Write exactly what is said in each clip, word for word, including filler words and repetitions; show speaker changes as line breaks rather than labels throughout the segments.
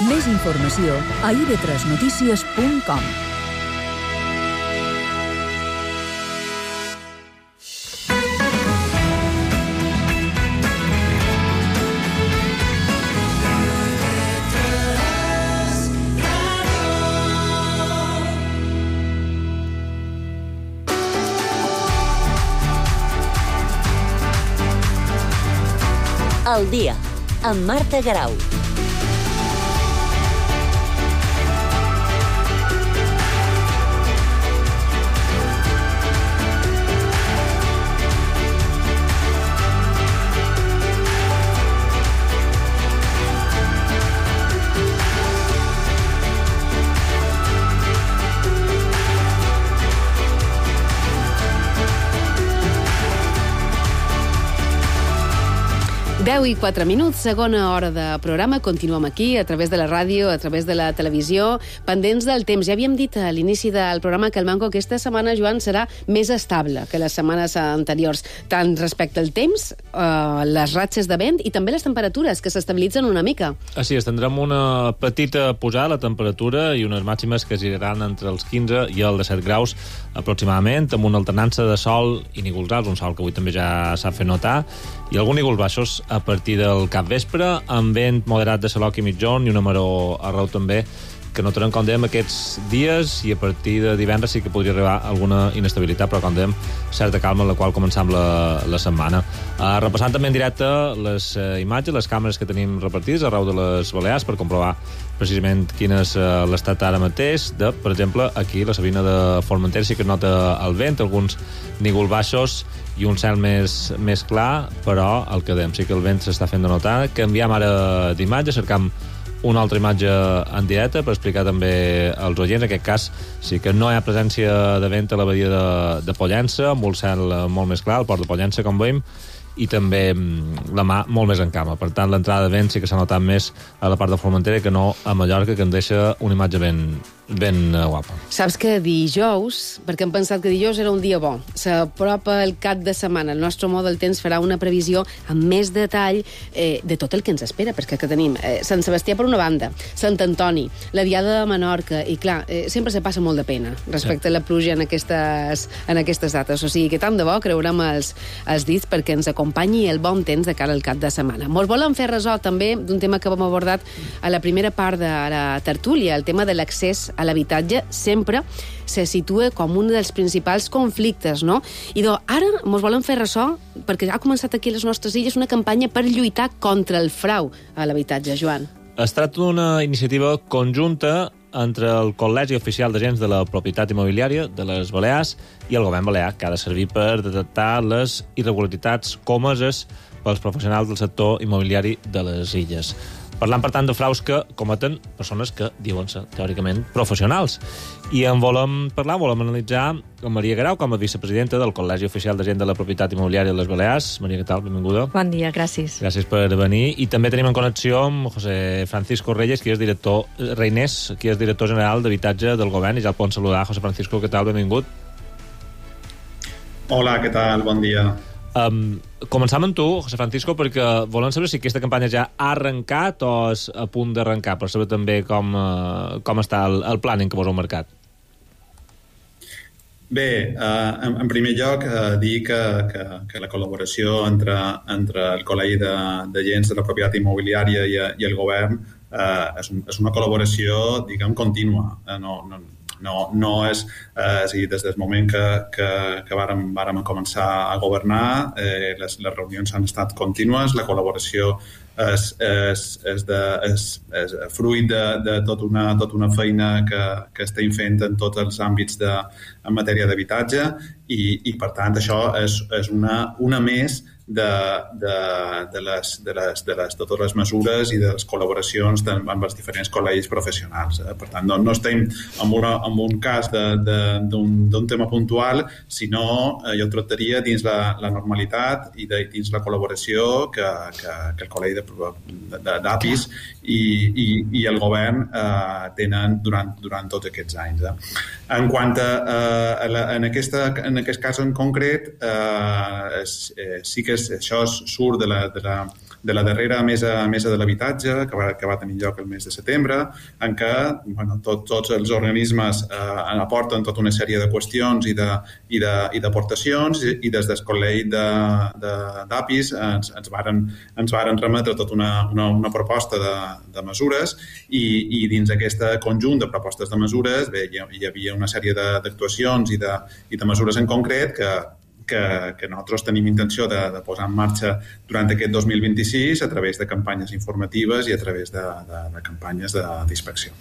Més informació a i ve tres notícies punt com.
Al dia, amb Marta Garau.
deu i quatre minuts, segona hora de programa. Continuem aquí, a través de la ràdio, a través de la televisió, pendents del temps. Ja havíem dit a l'inici del programa que el Manco aquesta setmana, Joan, serà més estable que les setmanes anteriors, tant respecte al temps, eh, les ratxes de vent i també les temperatures, que s'estabilitzen una mica.
Així és, tindrem una petita pujada a la temperatura i unes màximes que giraran entre els quinze i els disset graus aproximadament, amb una alternança de sol i nígols alts, un sol que avui també ja s'ha fet notar, i alguns nígols baixos a partir del capvespre, amb vent moderat de Salòc i mitjorn i una maror arreu també, que notarem, com dèiem, aquests dies, i a partir de divendres sí que podria arribar alguna inestabilitat, però, com dèiem, certa calma en la qual començam la, la setmana. Uh, repassant també en directe les uh, imatges, les càmeres que tenim repartides arreu de les Balears per comprovar precisament quin és uh, l'estat ara mateix de, per exemple, aquí, la Sabina de Formentera, sí que es nota el vent, alguns nígols baixos i un cel més, més clar, però el que dèiem, sí que el vent s'està fent de notar. Canviem ara d'imatge, cercam una altra imatge en directe per explicar també als oients. En aquest cas sí que no hi ha presència de vent a la badia de, de Pollença, amb un cel molt més clar, el port de Pollença, com veiem, i també la mà molt més en calma. Per tant, l'entrada de vent sí que s'ha notat més a la part de Formentera que no a Mallorca, que en deixa una imatge ben, ben guapa.
Saps que dijous, perquè hem pensat que dijous era un dia bo, s'apropa el cap de setmana, el nostre home del temps farà una previsió amb més detall eh, de tot el que ens espera, perquè que tenim eh, Sant Sebastià per una banda, Sant Antoni, la Diada de Menorca, i clar, eh, sempre se passa molt de pena respecte sí. a la pluja en aquestes, en aquestes dates, o sigui que tant de bo creurem els, els dits perquè ens acompanyi el bon temps de cara al cap de setmana. Mos volen fer ressò també d'un tema que vam abordat a la primera part de la tertúlia, el tema de l'accés a l'habitatge sempre se situa com un dels principals conflictes, no? I doncs ara ens volen fer ressò, perquè ha començat aquí a les nostres illes una campanya per lluitar contra el frau a l'habitatge, Joan.
Es tracta d'una iniciativa conjunta entre el Col·legi Oficial d'Agents de la Propietat Immobiliària de les Balears i el govern balear, que ha de servir per detectar les irregularitats comeses pels professionals del sector immobiliari de les illes. Parlant, per tant, de fraus que cometen persones que diuen-se, teòricament, professionals. I en volem parlar, volem analitzar amb Maria Garau, com a vicepresidenta del Col·legi Oficial d'Agents de la Propietat Immobiliària de les Balears. Maria, què tal? Benvinguda.
Bon dia, gràcies.
Gràcies per venir. I també tenim en connexió amb José Francisco Reyes, qui és director, Reinés, qui és director general d'Habitatge del Govern, i ja el poden saludar. José Francisco, què tal? Benvingut.
Hola, què tal? Bon dia.
Um, començam amb tu, José Francisco, perquè volem saber si aquesta campanya ja ha arrencat o és a punt d'arrencar, per saber també com, uh, com està el, el planning que vos heu marcat.
Bé, uh, en, en primer lloc, uh, dir que, que, que la col·laboració entre, entre el Col·legi d'Agents de, de la Propietat Immobiliària i, i el govern uh, és, un, és una col·laboració, diguem, contínua. Uh, no, no, No, no és, eh, és a dir, des del moment que, que, que vàrem, vàrem començar a governar, eh, les, les reunions han estat contínues, la col·laboració és, és, és, de, és, és fruit de, de tot una, tot una feina que, que estem fent en tots els àmbits de, en matèria d'habitatge i, i, per tant, això és, és una, una més de, de, de, les, de, les, de, les, de totes les mesures i de les col·laboracions de, amb els diferents col·legis professionals. Eh? Per tant, no, no estem en, una, en un cas d'un tema puntual, sinó eh, jo tractaria dins la, la normalitat i de, dins la col·laboració que, que, que el Col·legi d'A P I S i, i, i el govern eh, tenen durant, durant tots aquests anys. Eh? En quant a, a, la, en, aquesta, en aquest cas en concret, eh, és, eh, sí que és, això surt de la, de la, de la darrera mesa, mesa de l'habitatge, que va, que va tenir lloc el mes de setembre, en què bueno, tot, tots els organismes eh, aporten tota una sèrie de qüestions i de, i de, i d'aportacions, i, i des del col·legi d'A P I S ens, ens, varen, ens varen remetre tota una, una, una proposta de, de mesures, i, i dins aquest conjunt de propostes de mesures bé, hi, hi havia una sèrie d'actuacions i de, i de mesures en concret que Que, que nosaltres tenim intenció de, de posar en marxa durant aquest dos mil vint-i-sis a través de campanyes informatives i a través de, de, de campanyes d'inspecció.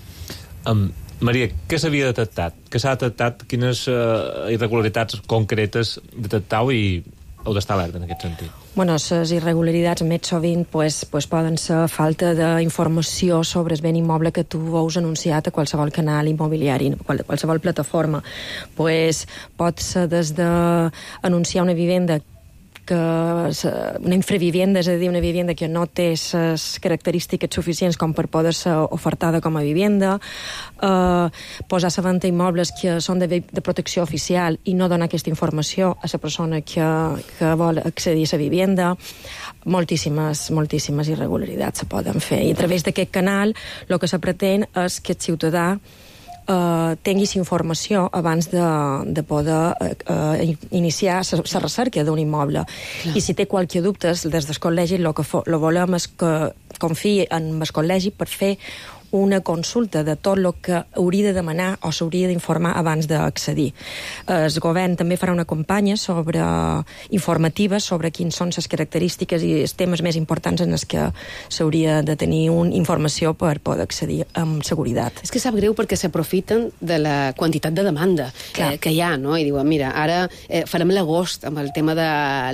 Um, Maria, què s'havia detectat? Què s'ha detectat? Quines uh, irregularitats concretes detectau i heu d'estar alerta en aquest sentit?
Bueno, les irregularitats més sovint pues, pues poden ser falta d'informació sobre el bé immoble que tu veus anunciat a qualsevol canal immobiliari, a qualsevol plataforma. Pues, pot ser des d'anunciar una vivenda que una infravivienda, és a dir, una vivenda que no té les característiques suficients com per poder ser ofertada com a vivenda, eh, posar a la venda immobles que són de, de protecció oficial i no donar aquesta informació a la persona que, que vol accedir a la vivenda. Moltíssimes, moltíssimes irregularitats se poden fer. I a través d'aquest canal el que se pretén és que el ciutadà Uh, tinguis informació abans de, de poder uh, iniciar la recerca d'un immoble. Clar. I si té qualque dubte, des del col·legi el que fo, lo volem és que confiï en el col·legi per fer una consulta de tot el que hauria de demanar o s'hauria d'informar abans d'accedir. El govern també farà una campanya sobre informativa sobre quins són les característiques i els temes més importants en els que s'hauria de tenir una informació per poder accedir amb seguretat.
És que sap greu perquè s'aprofiten de la quantitat de demanda eh, que hi ha, no? I diuen, mira, ara eh, farem l'agost amb el tema de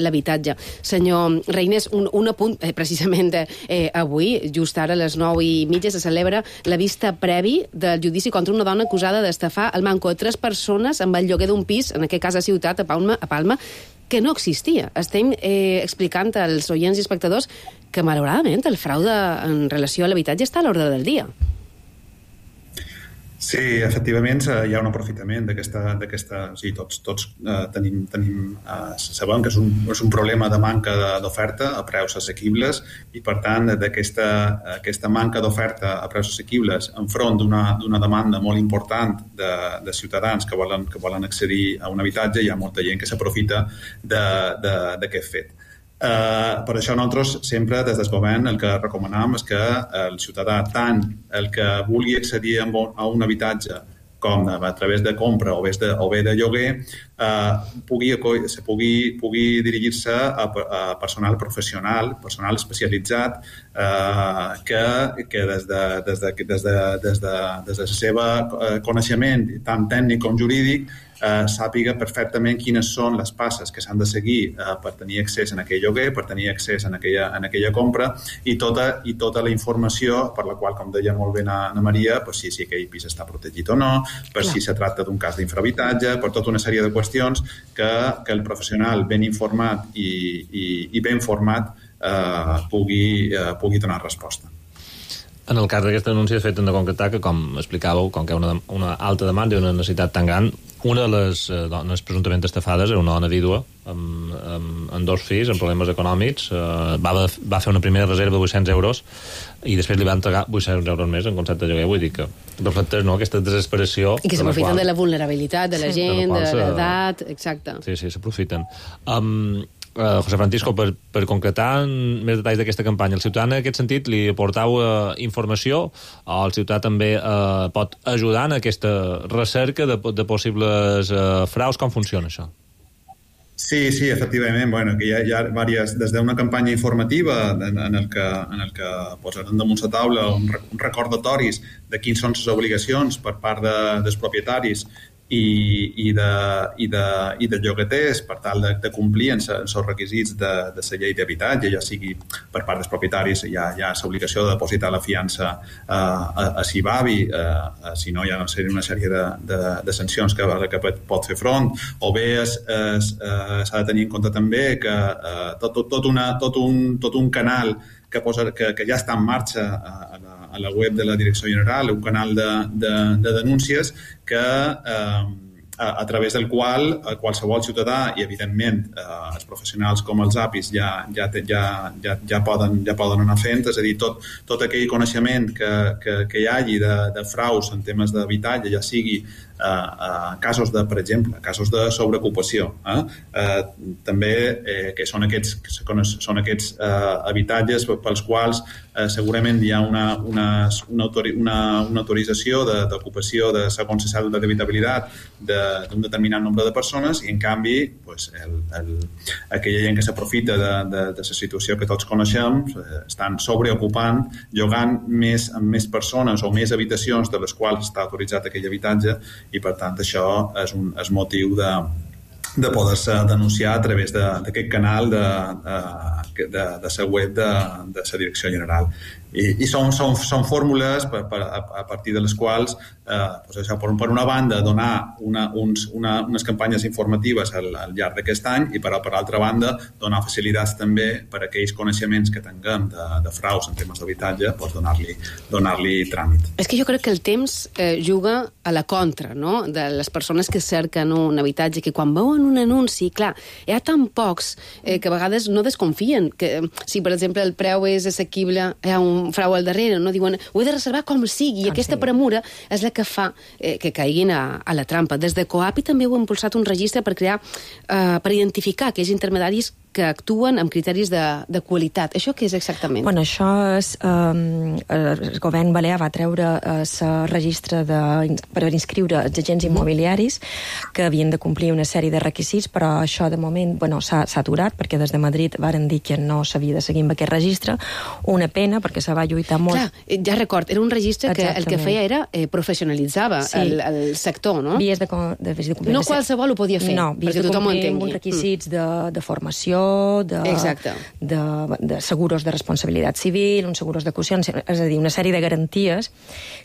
l'habitatge. Senyor Reynés, un, un apunt, eh, precisament eh, avui, just ara a les nou i mitja, se celebra la vista previ del judici contra una dona acusada d'estafar el manco de tres persones amb el lloguer d'un pis, en aquest cas a Ciutat, a Palma, a Palma que no existia. Estem eh, explicant als oients i espectadors que, malauradament, el fraude en relació a l'habitatge està a l'ordre del dia.
Sí, efectivament hi ha un aprofitament d'aquesta... O sigui, tots, tots eh, tenim, tenim eh, sabem que és un, és un problema de manca d'oferta a preus assequibles i, per tant, d'aquesta aquesta manca d'oferta a preus assequibles enfront d'una demanda molt important de, de ciutadans que volen, que volen accedir a un habitatge, hi ha molta gent que s'aprofita d'aquest fet. Uh, per això nosaltres sempre des del govern el que recomanam és que el ciutadà, tant el que vulgui accedir a un habitatge com a través de compra o bé de, o bé de lloguer, eh, pugui, pugui, pugui dirigir-se a, a personal professional, personal especialitzat, eh, que, que des de, des de, des de, des de, des de la seva coneixement, tant tècnic com jurídic, eh, sàpiga perfectament quines són les passes que s'han de seguir eh, per tenir accés en aquell lloguer, per tenir accés en aquella, en aquella compra, i tota, i tota la informació per la qual, com deia molt bé na, na Maria, pues, si, si aquell pis està protegit o no, per Clar. Si se tracta d'un cas d'infrahabitatge, per tota una sèrie de qüestions que, que el professional ben informat i, i, i ben format eh, pugui, eh, pugui donar resposta.
En el cas d'aquesta denúncia, de fet, hem de concretar que, com explicàveu, com que hi ha una, una alta demanda i una necessitat tan gran, una de les eh, dones presumptament estafades era una dona vídua amb, amb, amb dos fills, amb problemes econòmics. Eh, va, va fer una primera reserva de vuit-cents euros i després li van entregar vuit-cents euros més en concepte de lloguer. Vull dir que reflecteix, no?, aquesta desesperació.
I que s'aprofiten qual... de la vulnerabilitat de la sí. gent, de, de l'edat, exacte.
Sí, sí, s'aprofiten. Um, Uh, José Francisco, per, per concretar més detalls d'aquesta campanya, el ciutadà en aquest sentit li aportau uh, informació o el ciutadà també uh, pot ajudar en aquesta recerca de, de possibles uh, fraus? Com funciona això?
Sí, sí, efectivament. Bueno, que hi ha, hi ha diverses, des d'una campanya informativa en, en el que, en el que posarem damunt la taula un, un recordatoris de quins són les obligacions per part de, dels propietaris i, i, de, i, de, i de llogaters per tal de, de complir en els requisits de, de la llei d'habitatge, ja sigui per part dels propietaris hi ha, hi ha l'obligació de depositar la fiança eh, a, a Sibavi, eh, si no hi ha una sèrie de, de, de sancions que, que pot fer front, o bé es, es, eh, s'ha de tenir en compte també que eh, tot, tot, tot, una, tot, un, tot un canal que, posa, que, que ja està en marxa a la, a la web de la Direcció General, un canal de, de, de denúncies que, eh, a, a través del qual eh, qualsevol ciutadà i, evidentment, eh, els professionals com els A P Is ja, ja, ja, ja, ja, poden, ja poden anar fent, és a dir, tot, tot aquell coneixement que, que, que hi hagi de, de fraus en temes d'habitatge, ja sigui eh, eh, casos de, per exemple, casos de sobreocupació, eh? Eh, també eh, que són aquests, són aquests eh, habitatges pels quals eh, segurament hi ha una, una, una, autori, una, una autorització d'ocupació de, de segons se de d'habitabilitat d'un de, determinat nombre de persones i, en canvi, pues, el, el, aquella gent que s'aprofita de, de, de la situació que tots coneixem eh, estan sobreocupant, llogant més, amb més persones o més habitacions de les quals està autoritzat aquell habitatge i, per tant, això és un és motiu de, de poder-se denunciar a través d'aquest canal de, de, de, de la web de, de la Direcció General. I, i són, són, són fórmules per, per, a, a partir de les quals eh, doncs això, per, per una banda donar una, uns, una, unes campanyes informatives al, al llarg d'aquest any i per, per altra banda donar facilitats també per a aquells coneixements que tinguem de, de fraus en temes d'habitatge, doncs donar-li donar-li tràmit.
És que jo crec que el temps eh, juga a la contra, no?, de les persones que cerquen un habitatge, que quan veuen un anunci, clar, hi ha tan pocs eh, que a vegades no desconfien que si, per exemple, el preu és assequible, hi ha un frau al darrere, no? Diuen, ho he de reservar com sigui, i aquesta premura és la que fa eh, que caiguin a, a la trampa. Des de COAPI també heu impulsat un registre per crear, eh, per identificar aquells intermediaris que actuen amb criteris de, de qualitat. Això què és exactament?
Bueno, això és... Um, el govern balear va treure el registre de, per inscriure els agents immobiliaris que havien de complir una sèrie de requisits, però això de moment bueno, s'ha aturat perquè des de Madrid varen dir que no s'havia de seguir amb aquest registre. Una pena perquè se va lluitar molt.
Clar, ja record, era un registre que el que feia era eh, professionalitzava sí. el, el sector, no?
Vies de, de, de complir...
No qualsevol ho podia fer,
no,
perquè tothom ho entengui.
No, uns requisits mm. de, de formació, de, de, de seguros de responsabilitat civil, uns seguros de caució, és a dir, una sèrie de garanties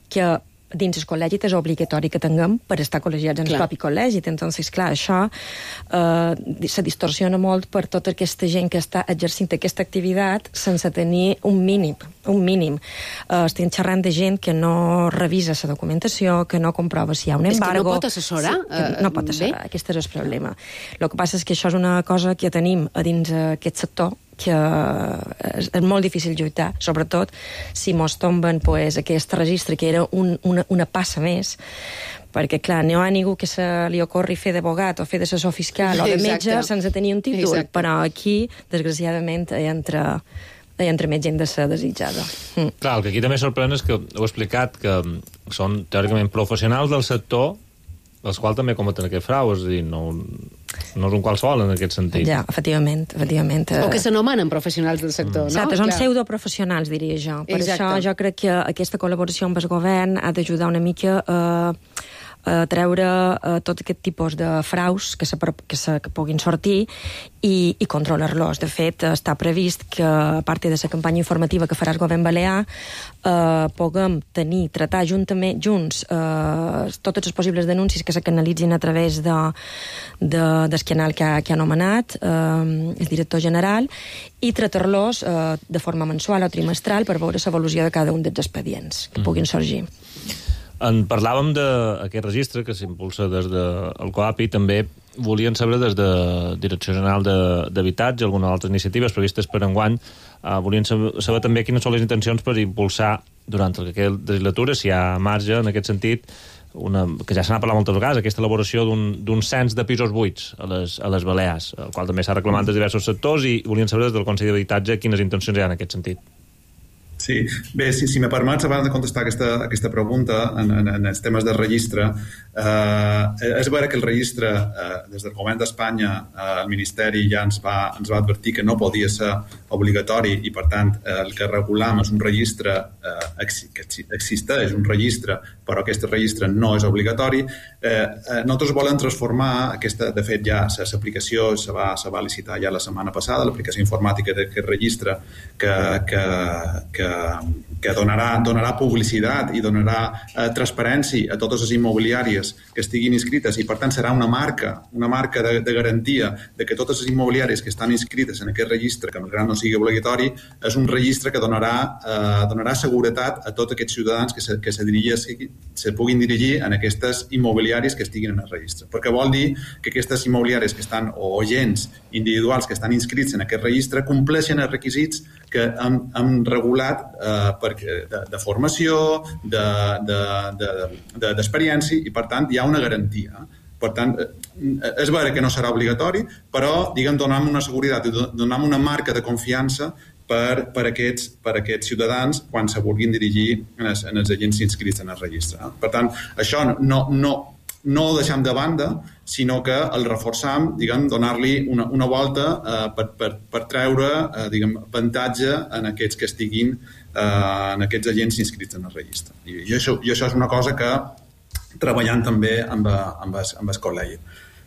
que dins el col·legi és obligatori que tinguem per estar col·legiats en el propi col·legi. Entonces, clar, això eh, se distorsiona molt per tota aquesta gent que està exercint aquesta activitat sense tenir un mínim. Un mínim. Eh, estem xerrant de gent que no revisa la documentació, que no comprova si hi ha un embargo.
És que no pot assessorar?
Sí, no pot assessorar, bé? Aquest és el problema. El que passa és que això és una cosa que tenim a dins aquest sector, que és molt difícil lluitar, sobretot si mos tomben pues, aquest registre, que era un, una, una passa més, perquè, clar, no hi ha ningú que se li ocorri fer d'abogat o fer d'assessor fiscal o de metge Exacte. Sense tenir un títol, Exacte. Però aquí, desgraciadament, hi entra, hi entra més gent de ser desitjada. Mm.
Clar, el que aquí també sorprèn és que heu explicat que són, teòricament, professionals del sector els quals també cometen aquest frau, és a dir, no, no és un qualsevol en aquest sentit.
Ja, efectivament, efectivament.
O que s'anomenen professionals del sector, mm. no?
Exacte, són pseudoprofessionals, diria jo. Per Exacte. Això jo crec que aquesta col·laboració amb el govern ha d'ajudar una mica a, a treure a tot aquest tipus de fraus que, se, que, se, que puguin sortir i, i controlar-los. De fet, està previst que, a part de la campanya informativa que farà el govern balear, eh, puguem tenir, tratar juntament, junts eh, totes les possibles denúncies que se canalitzin a través de, de, del canal que ha, que ha anomenat eh, el director general i tratar-los eh, de forma mensual o trimestral per veure l'evolució de cada un dels expedients que puguin sorgir.
En parlàvem d'aquest registre que s'impulsa des del COAPI, també volien saber des de Direcció General d'Habitatge, algunes altres iniciatives previstes per enguany, eh, volien saber, saber també quines són les intencions per impulsar durant aquesta legislatura, si hi ha marge en aquest sentit, una, que ja se n'ha parlat moltes vegades, aquesta elaboració d'un cens de pisos buits a les, a les Balears, el qual també s'ha reclamat des de diversos sectors i volien saber des del Consell d'Habitatge quines intencions hi ha en aquest sentit.
Sí, bé, si, si me permets, abans de contestar aquesta, aquesta pregunta en, en, en els temes del registre, eh, és vera que el registre, eh, des del govern d'Espanya, eh, el Ministeri ja ens va, ens va advertir que no podia ser obligatori i, per tant, eh, el que regulam és un registre eh, que existeix, un registre, però aquest registre no és obligatori. Eh, eh, nosaltres volem transformar aquesta, de fet, ja l'aplicació se va, se va licitar ja la setmana passada, l'aplicació informàtica d'aquest registre que, que, que que, que donarà, donarà publicitat i donarà eh, transparència a totes les immobiliàries que estiguin inscrites i, per tant, serà una marca, una marca de, de garantia de que totes les immobiliàries que estan inscrites en aquest registre, que malgrat no sigui obligatori, és un registre que donarà, eh, donarà seguretat a tots aquests ciutadans que se, que se, dirigir, se puguin dirigir en aquestes immobiliàries que estiguin en el registre. Perquè vol dir que aquestes immobiliàries que estan, o agents individuals que estan inscrits en aquest registre, compleixen els requisits que hem, hem regulat eh, perquè, de, de formació, d'experiència, de, de, de, i per tant hi ha una garantia. Per tant, és vera que no serà obligatori, però, diguem, donem una seguretat, donem una marca de confiança per, per, aquests, per aquests ciutadans quan se vulguin dirigir en els, en els agents inscrits en el registre. Per tant, això no, no, no ho deixem de banda, sinó que el reforçam, diguem, donar-li una, una volta eh, per, per, per treure, eh, diguem, avantatge en aquests que estiguin, eh, en aquests agents inscrits en el registre. I, i, això, i això és una cosa que treballant també amb, amb, el, amb el col·legi.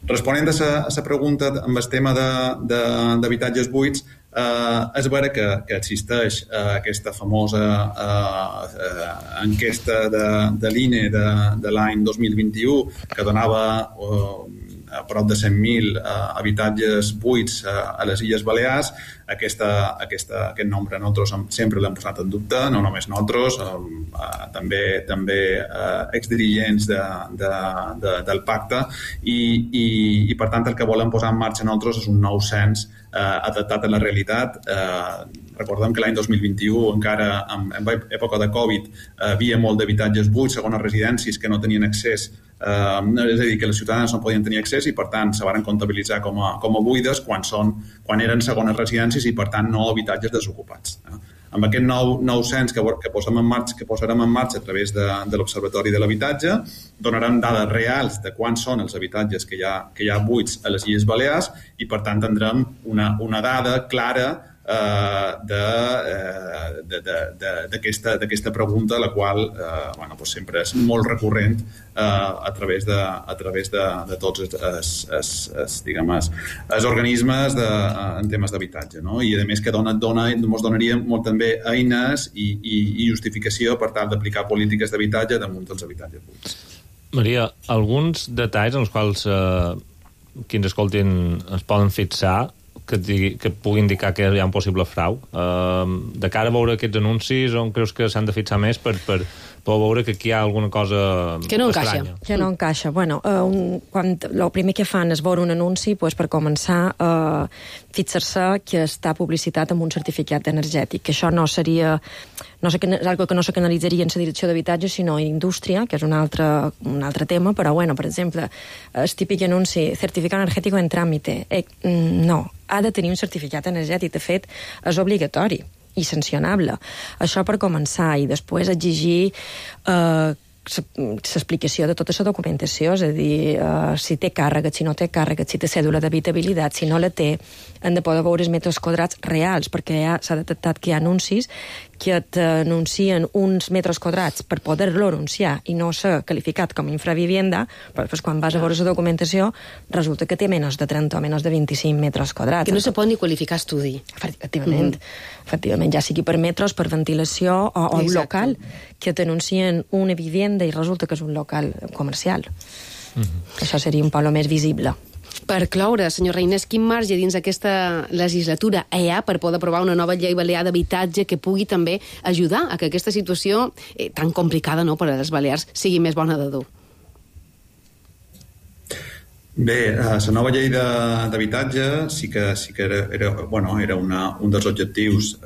Responent a la pregunta amb el tema d'habitatges buits, eh, és vera que, que existeix eh, aquesta famosa eh, eh, enquesta de, de l'I N E de, de l'any dos mil vint-i-u que donava eh, a prop de cent mil eh, habitatges buits eh, a les Illes Balears. Aquesta, aquesta, aquest nombre nosaltres sempre l'hem posat en dubte, no només nosaltres, eh, eh, també, també eh, exdirigents de, de, de, del pacte, i, i, i per tant el que volem posar en marxa nosaltres és un nou cens eh, adaptat a la realitat. Eh, recordem que l'any dos mil vint-i-u, encara en, en època de Covid, eh, havia molt d'habitatges buits, segones residències que no tenien accés, eh, és a dir, que els ciutadans no podien tenir accés i per tant se van comptabilitzar com a, com a buides quan, són, quan eren segones residències i per tant no habitatges desocupats. Eh? Amb aquest nou, nou cens que, que, posem en marxa, que posarem en marxa a través de, de l'Observatori de l'Habitatge, donarem dades reals de quants són els habitatges que hi ha, que hi ha buits a les Illes Balears i per tant tindrem una, una dada clara d'aquesta d'aquesta pregunta, la qual eh, bueno, doncs sempre és molt recurrent eh, a través de, a través de, de tots els, els, els, els, diguem, els, els organismes de, en temes d'habitatge, no? I a més que dona, dona, ens donaria molt també eines i, i, i justificació per tal d'aplicar polítiques d'habitatge damunt dels habitatges buits. Maria, alguns detalls en els quals eh, qui ens escoltin es poden fixar que, digui, que pugui indicar que hi ha un possible frau. Uh, de cara a veure aquests anuncis, on creus que s'han de fixar més per, per, per veure que aquí hi ha alguna cosa
que no
estranya?
Encaixa.
Que no encaixa. Bueno, uh, un, quan el primer que fan és veure un anunci, pues, per començar a uh, fixar-se que està publicitat amb un certificat energètic, que això no seria... No sé, és algo que no se canalitzaria en la direcció d'habitatge, sinó en indústria, que és un altre, un altre tema, però, bueno, per exemple, el típic anunci, certificat energètic en tràmite. Eh, no, ha de tenir un certificat energètic. De fet, és obligatori i sancionable. Això per començar, i després exigir eh, l'explicació de tota la documentació, és a dir, uh, si té càrrega, si no té càrrega, si té cèdula d'habitabilitat, si no la té, han de poder veure els metres quadrats reals, perquè ja s'ha detectat que hi ha anuncis que t'anuncien uns metres quadrats per poder-lo anunciar i no ser qualificat com a infravivienda, però després quan vas a veure la documentació resulta que té menys de trenta o menys de vint-i-cinc metres quadrats.
Que no se pot ni qualificar estudi.
Efectivament, mm-hmm. efectivament, ja sigui per metres, per ventilació o, o un local, que t'anuncien una vivienda i resulta que és un local comercial. Mm-hmm. Això seria un polo més visible.
Per cloure, senyor Reinés, quin marge dins aquesta legislatura hi ha per poder aprovar una nova llei balear d'habitatge que pugui també ajudar a que aquesta situació eh, tan complicada, no, per a les Balears sigui més bona de dur?
Bé, la nova llei d'habitatge sí que, sí que era, era, bueno, era una, un dels objectius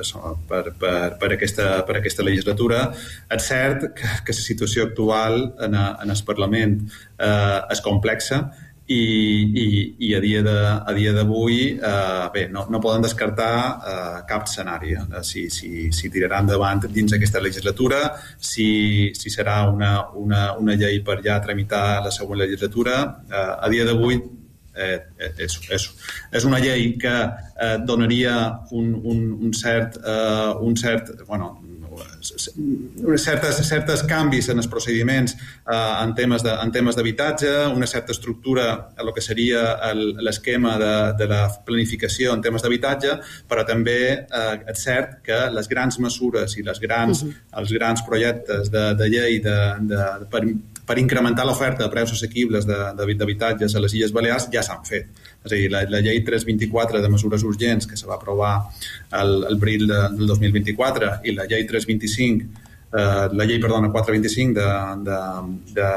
per, per, per, aquesta, per aquesta legislatura. És cert que, que la situació actual en, a, en el Parlament eh, és complexa, i, i, i a dia de, a dia d'avui eh, bé, no, no poden descartar eh, cap escenari, eh, si, si, si tirarà endavant dins aquesta legislatura, si, si serà una, una, una llei per ja tramitar la següent legislatura. Eh, a dia d'avui eh, és, és, és una llei que eh, donaria un, un, un cert, eh, un cert bueno, certes, certes canvis en els procediments eh, en temes de, en temes d'habitatge, una certa estructura a el que seria l'esquema de, de la planificació en temes d'habitatge, però també eh, és cert que les grans mesures i les grans, uh-huh. els grans projectes de, de llei de, de, per, per incrementar l'oferta de preus assequibles d'habitatges a les Illes Balears ja s'han fet. És a dir, la, la llei tres vint-i-quatre de mesures urgents que se va aprovar el, el abril de, del dos mil vint-i-quatre i la llei tres vint-i-cinc Uh, la llei, perdona, quatre vint-i-cinc de, de, de,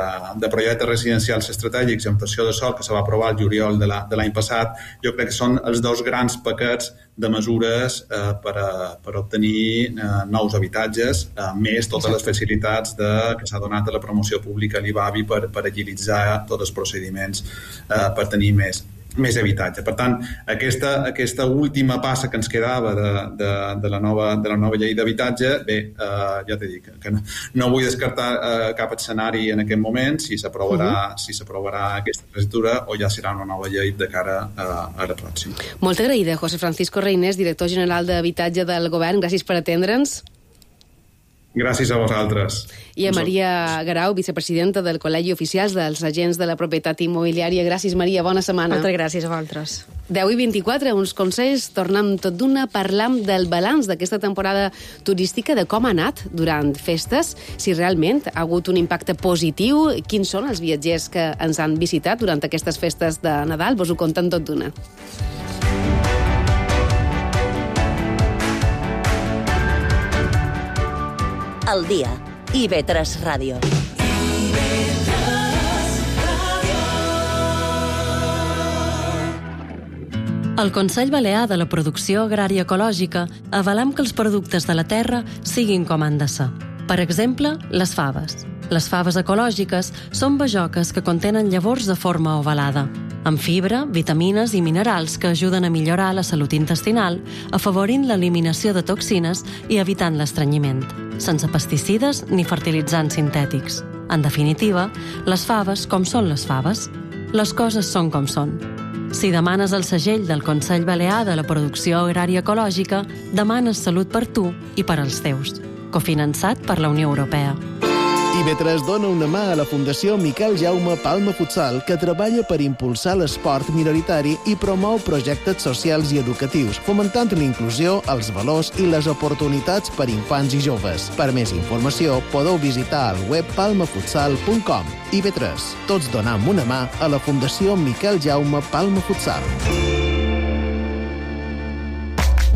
de projectes residencials estratègics i ampliació de sòl que se va aprovar el juliol de l'any passat, jo crec que són els dos grans paquets de mesures uh, per, a, per obtenir uh, nous habitatges, uh, més totes les facilitats de, que s'ha donat a la promoció pública a l'I B A B I per, per agilitzar tots els procediments uh, per tenir més més habitatge. Per tant, aquesta, aquesta última passa que ens quedava de, de, de, la, nova, de la nova llei d'habitatge, bé, eh, ja t'he dit que no, no vull descartar eh, cap escenari en aquest moment, si s'aprovarà uh-huh. si s'aprovarà aquesta legislatura o ja serà una nova llei de cara a, a la pròxima.
Molt agraïda, José Francisco Reynés, director general d'Habitatge del Govern. Gràcies per atendre'ns.
Gràcies a vosaltres.
I a Maria Garau, vicepresidenta del Col·legi Oficials dels Agents de la Propietat Immobiliària. Gràcies, Maria, bona setmana.
Moltes gràcies a vosaltres.
deu i vint-i-quatre, uns consells, tornem tot d'una, parlam del balanç d'aquesta temporada turística, de com ha anat durant festes, si realment ha hagut un impacte positiu, quins són els viatgers que ens han visitat durant aquestes festes de Nadal, vos ho conten tot d'una.
El dia. I ve tres Ràdio.
El Consell Balear de la Producció Agrària Ecològica avalem que els productes de la terra siguin com han de ser. Per exemple, les faves. Les faves ecològiques són bajoques que contenen llavors de forma ovalada, amb fibra, vitamines i minerals que ajuden a millorar la salut intestinal, afavorint l'eliminació de toxines i evitant l'estrenyiment, sense pesticides ni fertilitzants sintètics. En definitiva, les faves com són les faves. Les coses són com són. Si demanes el segell del Consell Balear de la Producció Agrària Ecològica, demanes salut per tu i per als teus. Cofinançat per la Unió Europea.
I B tres dona una mà a la Fundació Miquel Jaume Palma Futsal, que treballa per impulsar l'esport minoritari i promou projectes socials i educatius, fomentant l'inclusió, els valors i les oportunitats per infants i joves. Per més informació, podeu visitar el web palma futsal punt com. I B tres, tots donam una mà a la Fundació Miquel Jaume Palma Futsal.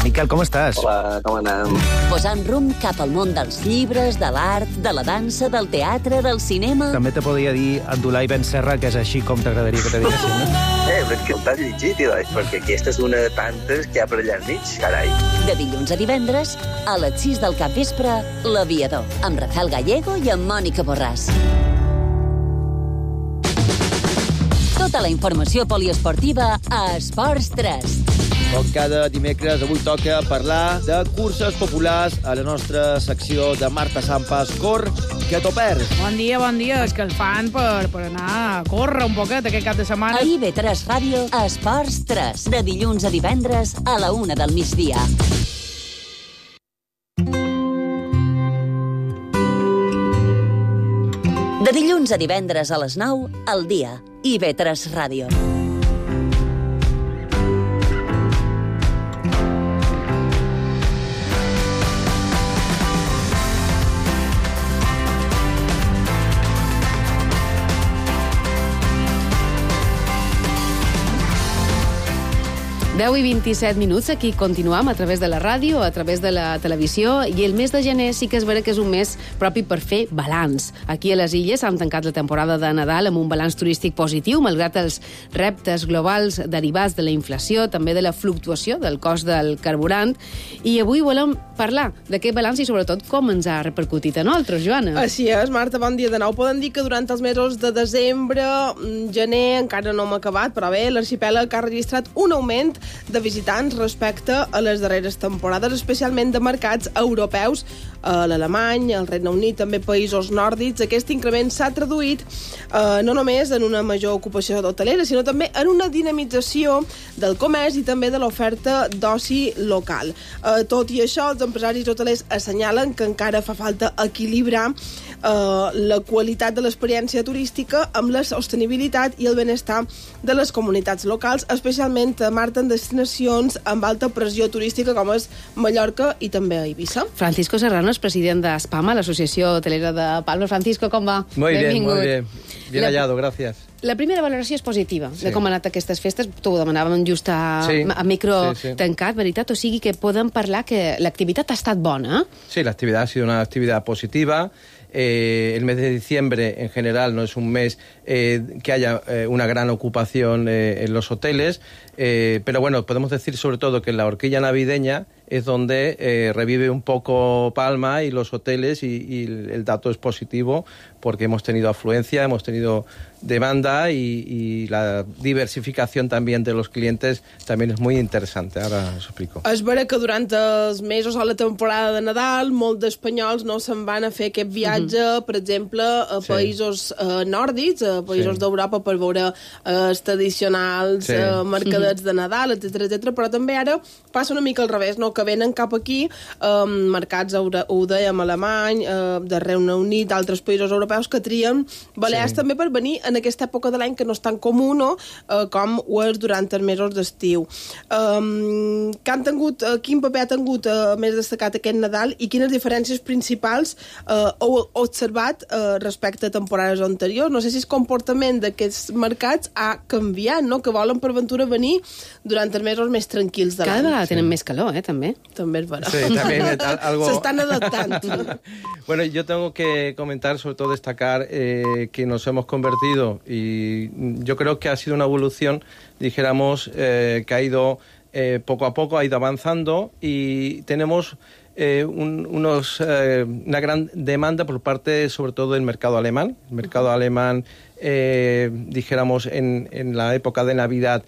Miquel, com estàs?
Hola, com anem?
Posant rumb cap al món dels llibres, de l'art, de la dansa, del teatre, del cinema...
També te podria dir Abdulai Ben Serra, que és així com t'agradaria que te diguessin, no?
Eh, però és que el t'has llegit, Ilai, perquè aquesta és una de tantes que hi ha per allà enmig, carai.
De dilluns a divendres, a les sis del capvespre, L'Aviador, amb Rafael Gallego i amb Mònica Borràs. Tota la informació poliesportiva a Esports tres.
Com cada dimecres, avui toca parlar de curses populars a la nostra secció de Marta Sampas. Cor, que t'ho perds.
Bon dia, bon dia. És que el fan per, per anar a córrer un poquet aquest cap de setmana.
A I B tres Ràdio, Esports tres. De dilluns a divendres a la una del migdia. De dilluns a divendres a les nou, al dia. I B tres Ràdio.
deu i vint-i-set minuts, aquí continuam a través de la ràdio, a través de la televisió, i el mes de gener sí que és vera que és un mes propi per fer balanç. Aquí a les Illes han tancat la temporada de Nadal amb un balanç turístic positiu, malgrat els reptes globals derivats de la inflació, també de la fluctuació del cost del carburant, i avui volem parlar d'aquest balanç i sobretot com ens ha repercutit a nosaltres, Joana.
Així és, Marta, bon dia de nou. Podem dir que durant els mesos de desembre, gener, encara no hem acabat, però bé, l'arxipèlag ha registrat un augment de visitants respecte a les darreres temporades, especialment de mercats europeus, a l'Alemany, al Regne Unit, també països nòrdics. Aquest increment s'ha traduït eh, no només en una major ocupació hotelera, sinó també en una dinamització del comerç i també de l'oferta d'oci local. Eh, tot i això, els molts empresaris hotelers assenyalen que encara fa falta equilibrar eh, la qualitat de l'experiència turística amb la sostenibilitat i el benestar de les comunitats locals, especialment a Marta en destinacions amb alta pressió turística com és Mallorca i també a Eivissa.
Francisco Serrano és president d'Espama, l'Associació Hotelera de Palma. Francisco, com va?
Muy
Benvingut.
bien, muy bien. Bien
La...
hallado, gracias.
La primera valoració és positiva, sí, de com han anat aquestes festes. T'ho demanàvem just a,
sí,
a micro
sí, sí.
tancat, veritat? O sigui que podem parlar que l'activitat ha estat bona.
Sí, la actividad ha sido una actividad positiva. Eh, el mes de diciembre, en general, no es un mes eh, que haya eh, una gran ocupación eh, en los hoteles, eh, pero bueno, podemos decir sobre todo que la horquilla navideña es donde eh, revive un poco Palma y los hoteles, y, y el dato es positivo porque hemos tenido afluencia, hemos tenido demanda y, y la diversificación también de los clientes también es muy interesante. Ara us explico.
És vera que durant els mesos o la temporada de Nadal molts d'espanyols no se'n van a fer aquest viatge, uh-huh. per exemple, a sí. països eh, nòrdics, a països sí. d'Europa per veure eh, els tradicionals sí. eh, mercadets uh-huh. de Nadal, etcètera, etcètera. Però també ara passa una mica al revés, no? Que venen cap aquí eh, mercats, ho dèiem, alemany, eh, de Regne Unit, d'altres països europeus que trien Balears sí. també per venir en aquesta època de l'any que no és tan comú, no? Eh, com ho és durant els mesos d'estiu. Um, que han tingut, uh, quin paper ha tingut uh, més destacat aquest Nadal i quines diferències principals uh, heu observat uh, respecte a temporades anteriors? No sé si el comportament d'aquests mercats ha canviat, no? Que volen per ventura venir durant els mesos més tranquils de l'any.
Cada vegada tenen sí. més calor, eh, també.
També és vera.
Sí, también algo...
Se están adaptando.
Bueno, yo tengo que comentar, sobre todo destacar eh, que nos hemos convertido, y yo creo que ha sido una evolución, dijéramos, eh, que ha ido eh, poco a poco, ha ido avanzando, y tenemos eh, un, unos, eh, una gran demanda por parte, sobre todo, del mercado alemán. El mercado alemán, eh, dijéramos, en, en la época de Navidad,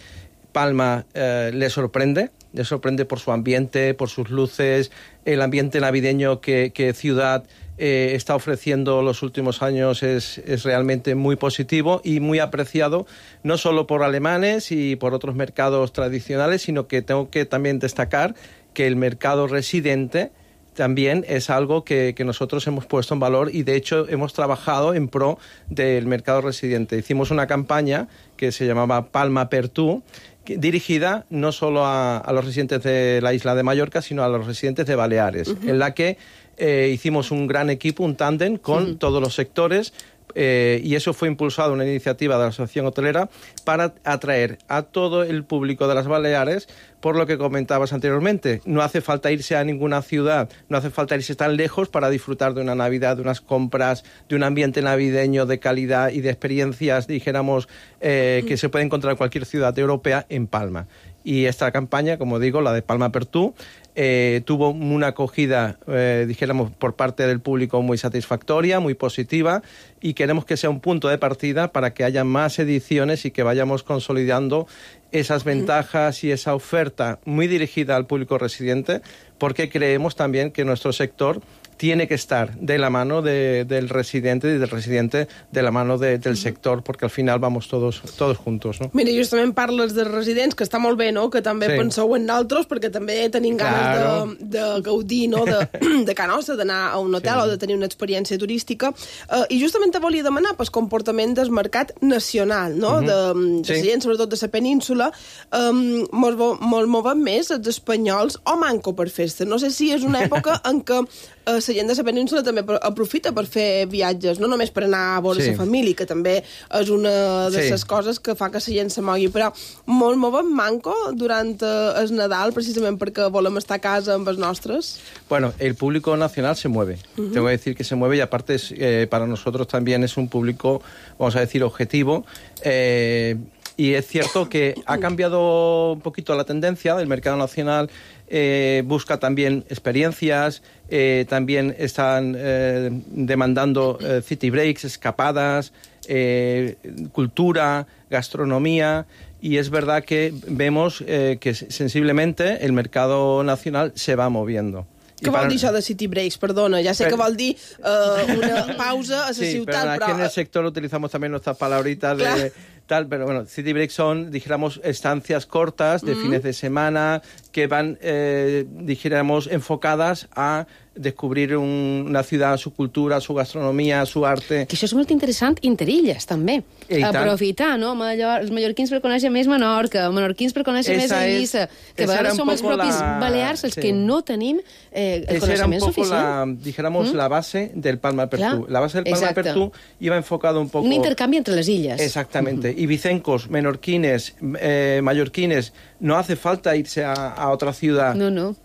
Palma eh, le sorprende, le sorprende por su ambiente, por sus luces, el ambiente navideño que, que Ciudad eh, está ofreciendo los últimos años es, es realmente muy positivo y muy apreciado, no solo por alemanes y por otros mercados tradicionales, sino que tengo que también destacar que el mercado residente también es algo que, que nosotros hemos puesto en valor, y de hecho hemos trabajado en pro del mercado residente. Hicimos una campaña que se llamaba Palma per tú, dirigida no solo a, a los residentes de la isla de Mallorca, sino a los residentes de Baleares, uh-huh. en la que eh, hicimos un gran equipo, un tándem con uh-huh. todos los sectores, eh, y eso fue impulsado, una iniciativa de la Asociación Hotelera, para atraer a todo el público de las Baleares, por lo que comentabas anteriormente. No hace falta irse a ninguna ciudad, no hace falta irse tan lejos para disfrutar de una Navidad, de unas compras, de un ambiente navideño de calidad y de experiencias, dijéramos, eh, que se puede encontrar en cualquier ciudad europea en Palma. Y esta campaña, como digo, la de Palma per tú, eh, tuvo una acogida, eh, dijéramos, por parte del público muy satisfactoria, muy positiva, y queremos que sea un punto de partida para que haya más ediciones y que vayamos consolidando esas ventajas y esa oferta muy dirigida al público residente, porque creemos también que nuestro sector tiene que estar de la mano de, del residente y del residente de la mano de, del sector, porque al final vamos todos, todos juntos, no?
Mira, justament parles de residents, que està molt bé, no?, que també sí. penseu en nosaltres, perquè també tenim ganes claro. de, de gaudir, no?, de, de casa nostra, d'anar a un hotel sí. o de tenir una experiència turística. Uh, I justament te volia demanar pel comportament del mercat nacional, no?, uh-huh. de, de sí. residents, sobretot de la península. Um, mos, mos movem més els espanyols o manco per festa? No sé si és una època en què uh, la gent de la península també aprofita per fer viatges, no només per anar a veure sí. la família, que també és una de les sí. coses que fa que la gent se mogui, però molt movem manco durant el Nadal, precisament perquè volem estar a casa amb els nostres.
Bueno, el público nacional se mueve. Uh-huh. Tengo que decir que se mueve, y aparte es, eh, para nosotros también es un público, vamos a decir, objetivo. Eh, y es cierto que ha cambiado un poquito la tendencia del mercado nacional. Eh, busca también experiencias, eh, también están eh, demandando eh, city breaks, escapadas, eh, cultura, gastronomía, y es verdad que vemos eh, que sensiblemente el mercado nacional se va moviendo.
Què vol dir això de city breaks? Perdona, ya sé
pero,
que vol dir uh, una pausa a la
sí,
ciutat,
pero...
però...
aquí en el sector utilizamos también nuestras palabritas de... Claro. Tal, pero bueno, city breaks son, dijéramos, estancias cortas de mm-hmm. fines de semana que van, eh, dijéramos, enfocadas a descobrir un, una ciutat, su cultura, su gastronomia, su arte...
Que això és molt interessant interilles, també.
I
aprofitar, no? Mallor, els mallorquins per conèixer més Menorca, menorquins per conèixer més Eivissa, que a vegades som els propis la... balears els sí. que no tenim eh, el
Esa
coneixement suficient.
Esa era un poco, la, dijéramos, mm? la base del Palma per tu. La base del Palma
Exacte.
per tu iba enfocado un poco...
Un intercanvi entre les illes.
Exactamente. Mm-hmm. Y vicencos, menorquines, eh, mallorquines, no hace falta irse a, a otra ciudad.
No, no.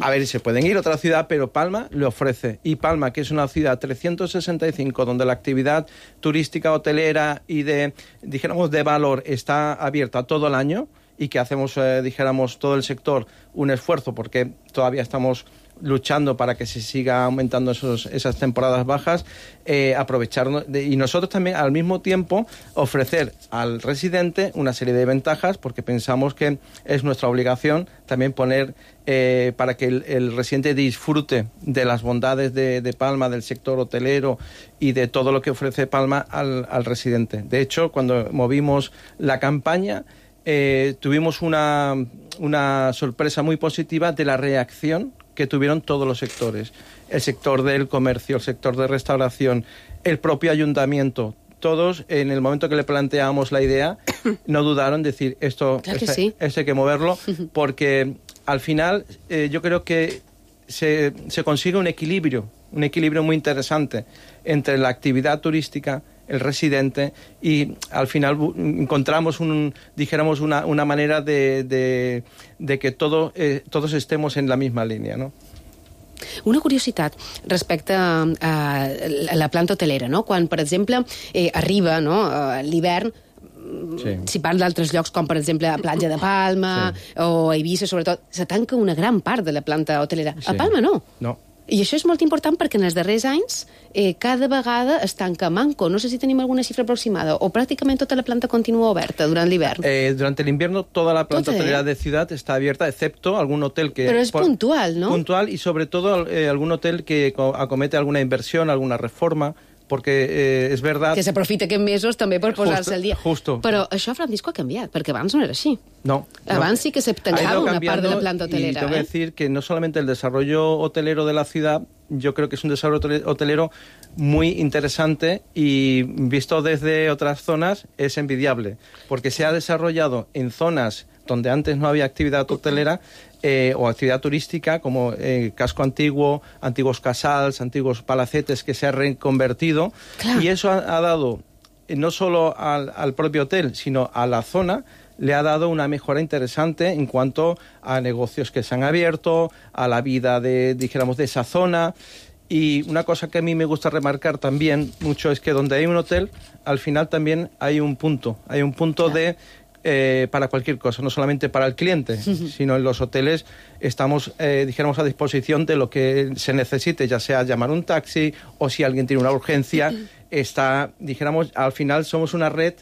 A ver, se pueden ir a otra ciudad, pero Palma le ofrece. Y Palma, que es una ciudad trescientos sesenta y cinco, donde la actividad turística, hotelera y de, dijéramos, de valor está abierta todo el año y que hacemos, eh, dijéramos, todo el sector un esfuerzo porque todavía estamos luchando para que se siga aumentando esos, esas temporadas bajas, eh, aprovechar de, y nosotros también al mismo tiempo ofrecer al residente una serie de ventajas porque pensamos que es nuestra obligación también poner eh, para que el, el residente disfrute de las bondades de, de Palma, del sector hotelero y de todo lo que ofrece Palma al, al residente. De hecho, cuando movimos la campaña eh, tuvimos una, una sorpresa muy positiva de la reacción que tuvieron todos los sectores, el sector del comercio, el sector de restauración, el propio ayuntamiento. Todos, en el momento que le planteamos la idea, no dudaron en decir esto,
claro que
este,
sí.
este hay que moverlo, porque al final eh, yo creo que se, se consigue un equilibrio, un equilibrio muy interesante entre la actividad turística, el residente, y al final encontramos un, dijéramos una, una manera de, de, de que todo, eh, todos estemos en la misma línia, no?
Una curiositat respecte a, a la planta hotelera, no? Quan, per exemple, eh, arriba no, l'hivern, sí. si parla d'altres llocs, com per exemple a Platja de Palma sí. o a Eivissa, sobretot, se tanca una gran part de la planta hotelera. Sí. A Palma no.
No.
I això és molt important perquè en els darrers anys eh, cada vegada es tanca manco. No sé si tenim alguna xifra aproximada o pràcticament tota la planta continua oberta durant l'hivern.
Eh, durante el invierno toda la planta
Tot,
hotelera
eh?
de ciudad está abierta, excepto algún hotel que...
Pero es
por,
puntual, ¿no?
Puntual y sobre todo eh, algún hotel que acomete alguna inversión, alguna reforma, porque eh, és verdad...
Que s'aprofita aquests mesos també per posar-se al dia.
Justo.
Però això, Francisco, ha canviat, perquè abans no era així.
No.
Abans
no.
sí que se tancaba una part de la planta hotelera.
Y tengo
¿eh?
que decir que no solamente el desarrollo hotelero de la ciudad, yo creo que es un desarrollo hotelero muy interesante y visto desde otras zonas es envidiable, porque se ha desarrollado en zonas donde antes no había actividad hotelera eh, o actividad turística, como eh, casco antiguo, antiguos casals, antiguos palacetes que se han reconvertido. Claro. Y eso ha, ha dado eh, no solo al, al propio hotel, sino a la zona, le ha dado una mejora interesante en cuanto a negocios que se han abierto, a la vida de, dijéramos, de esa zona. Y una cosa que a mí me gusta remarcar también mucho es que donde hay un hotel, al final también hay un punto, hay un punto claro. de... Eh, para cualquier cosa, no solamente para el cliente, sino en los hoteles estamos, eh, dijéramos, a disposición de lo que se necesite, ya sea llamar un taxi o si alguien tiene una urgencia, está, dijéramos, al final somos una red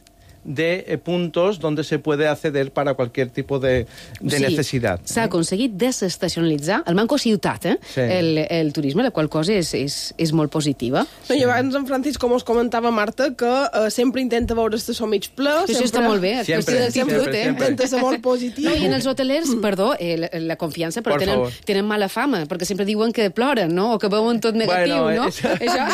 de eh, puntos donde se puede acceder para cualquier tipo de, de
sí,
necesidad.
S'ha aconseguit desestacionalitzar el manco ciutat, eh?
Sí.
el, el turisme, la qual cosa és, és, és molt positiva.
No, I abans en Francis, com us comentava Marta, que uh, sempre intenta veure estació mig ple.
Això sempre... està molt bé, és
sempre,
qüestió d'actitud,
sempre,
eh?
sempre.
Intenta ser molt positiu.
No, i en els hotelers, perdó, eh, la, la confiança, però
Por
tenen,
favor.
tenen mala fama, perquè sempre diuen que ploren, no? O que veuen tot negatiu,
bueno,
no?
Eso...
Això?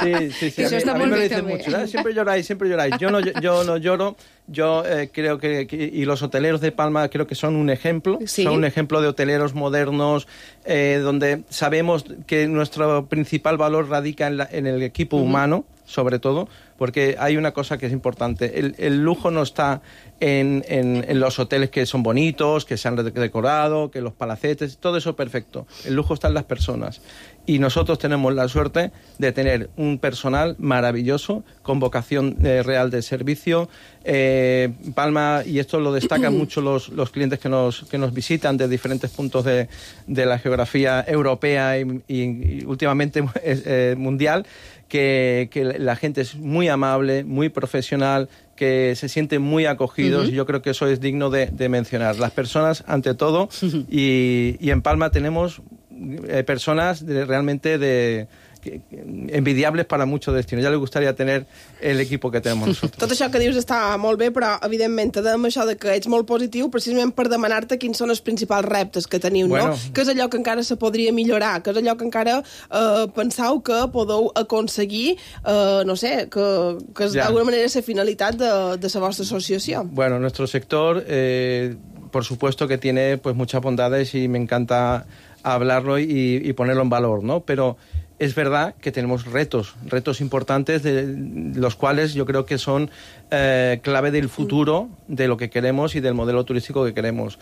Sí, sí, sí.
Això
a mí,
està
a mí
molt
me lo
bé,
dicen
també.
mucho, ¿eh? Siempre lloráis, siempre lloráis. Yo no, yo no lloro. Yo eh, creo que, que, y los hoteleros de Palma creo que son un ejemplo,
¿Sí?
son un ejemplo de hoteleros modernos, eh, donde sabemos que nuestro principal valor radica en, la, en el equipo uh-huh. humano, sobre todo, porque hay una cosa que es importante. El, el lujo no está en, en, en los hoteles que son bonitos, que se han decorado, que los palacetes, todo eso perfecto. El lujo está en las personas. Y nosotros tenemos la suerte de tener un personal maravilloso, con vocación eh, real de servicio. Eh, Palma, y esto lo destacan mucho los, los clientes que nos, que nos visitan de diferentes puntos de, de la geografía europea y, y, y últimamente eh, mundial, que, que la gente es muy amable, muy profesional, que se sienten muy acogidos, uh-huh. y yo creo que eso es digno de, de mencionar. Las personas, ante todo, uh-huh. y, y en Palma tenemos eh, personas de, realmente de... Que, envidiables para muchos destinos. Ja li gustaría tener el equipo que tenemos nosotros.
Tot això que dius està molt bé, però evidentment dèiem això de que ets molt positiu precisament per demanar-te quins són els principals reptes que teniu, bueno, no? Què és allò que encara se podria millorar? Què és allò que encara eh, penseu que podeu aconseguir, eh, no sé, que, que és d'alguna manera la finalitat de, de la vostra associació?
Bueno, nuestro sector, eh, por supuesto que tiene pues muchas bondades y me encanta hablarlo y, y ponerlo en valor, ¿no? Pero es verdad que tenemos retos, retos importantes, de los cuales yo creo que son eh, clave del futuro de lo que queremos y del modelo turístico que queremos.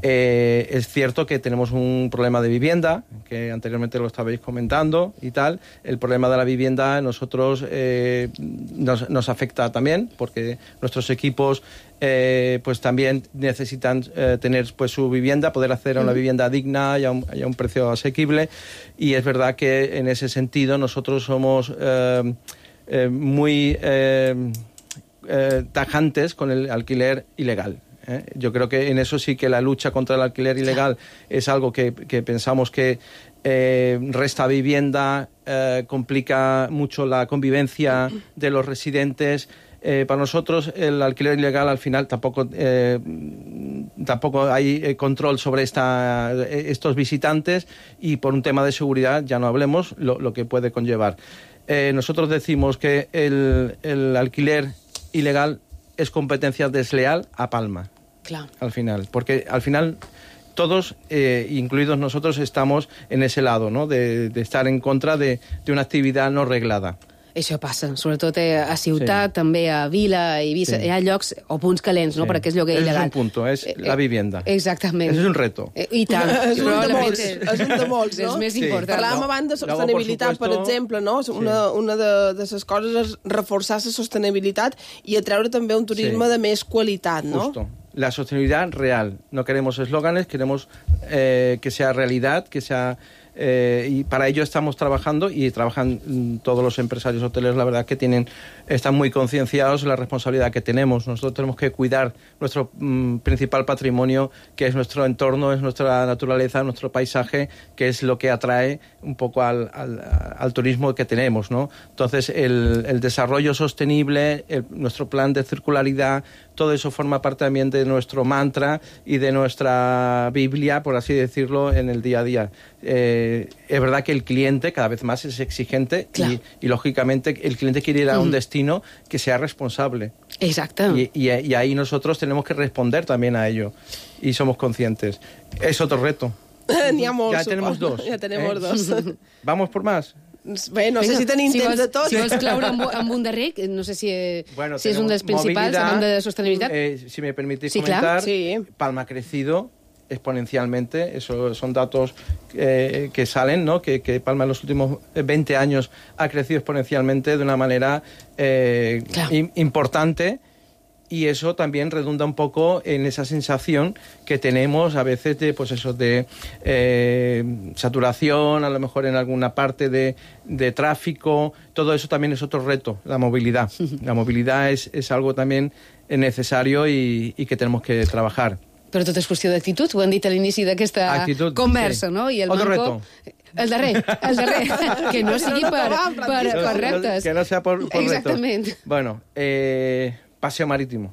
Eh, es cierto que tenemos un problema de vivienda, que anteriormente lo estabais comentando y tal. El problema de la vivienda a nosotros eh, nos, nos afecta también, porque nuestros equipos eh, pues también necesitan eh, tener pues su vivienda, poder acceder a una vivienda digna y a un, y a un precio asequible. Y es verdad que en ese sentido nosotros somos eh, eh, muy eh, eh, tajantes con el alquiler ilegal. ¿eh? Yo creo que en eso sí que la lucha contra el alquiler ilegal es algo que, que pensamos que eh, resta vivienda, eh, complica mucho la convivencia de los residentes. Eh, para nosotros el alquiler ilegal al final tampoco eh, tampoco hay eh, control sobre esta, estos visitantes, y por un tema de seguridad ya no hablemos lo, lo que puede conllevar. Eh, nosotros decimos que el, el alquiler ilegal es competencia desleal a Palma.
Claro.
Al final, porque al final todos, eh, incluidos nosotros, estamos en ese lado, ¿no? de, de estar en contra de, de una actividad no reglada.
Això passa, sobretot a ciutat, sí. també a vila, a Eivissa, sí. Hi ha llocs o punts calents, no?,
sí.
perquè és lloguer il·legal.
És un punto, és la vivienda.
Exactament.
Eso es un reto.
I tant.
És un de molts, és un de molts, no?
És més sí. important.
Parlàvem abans de sostenibilitat, per exemple, no? Una, una de, de les coses és reforçar la sostenibilitat i atreure també un turisme sí. de més qualitat, no?
Justo. La sostenibilidad real. No queremos eslóganes, queremos eh, que sea realidad, que sea... Eh, y para ello estamos trabajando, y trabajan mm, todos los empresarios hoteleros, la verdad que tienen, están muy concienciados de la responsabilidad que tenemos. Nosotros tenemos que cuidar nuestro mm, principal patrimonio, que es nuestro entorno, es nuestra naturaleza, nuestro paisaje, que es lo que atrae un poco al, al, al turismo que tenemos, ¿no? Entonces el, el desarrollo sostenible, el, nuestro plan de circularidad, todo eso forma parte también de nuestro mantra y de nuestra Biblia, por así decirlo, en el día a día. Eh, es verdad que el cliente cada vez más es exigente, claro. y, y lógicamente el cliente quiere ir a un mm. destino que sea responsable.
Exacto.
Y, y, y ahí nosotros tenemos que responder también a ello, y somos conscientes. Es otro reto.
N'hi ha molts,
ja tenemos dos.
Ja tenemos
eh?
dos.
¿Vamos por más?
Bé, no sé si tenim
si
temps
vols,
de tot.
Si vols cloure amb, amb un darrer, no sé si,
bueno,
si és un dels principals, en de sostenibilitat.
Eh, si me permitís
sí,
comentar,
sí.
Palma ha crecido exponencialmente, eso son datos eh, que salen, ¿no? Que, que Palma en los últimos veinte años ha crecido exponencialmente de una manera eh, claro. im, importante. Y eso también redunda un poco en esa sensación que tenemos a veces de, pues eso, de eh, saturación, a lo mejor en alguna parte de, de tráfico. Todo eso también es otro reto, la movilidad. La movilidad es, es algo también necesario y, y que tenemos que trabajar.
Però tot és qüestió d'actitud, ho han dit a l'inici d'aquesta
actitud,
conversa,
sí.
no? I el
Otro
manco...
reto.
El darrer, el darrer. Que no sigui per, per, per reptes.
Que no sea por, por
Exactament.
retos. Bueno, eh... paseo marítimo.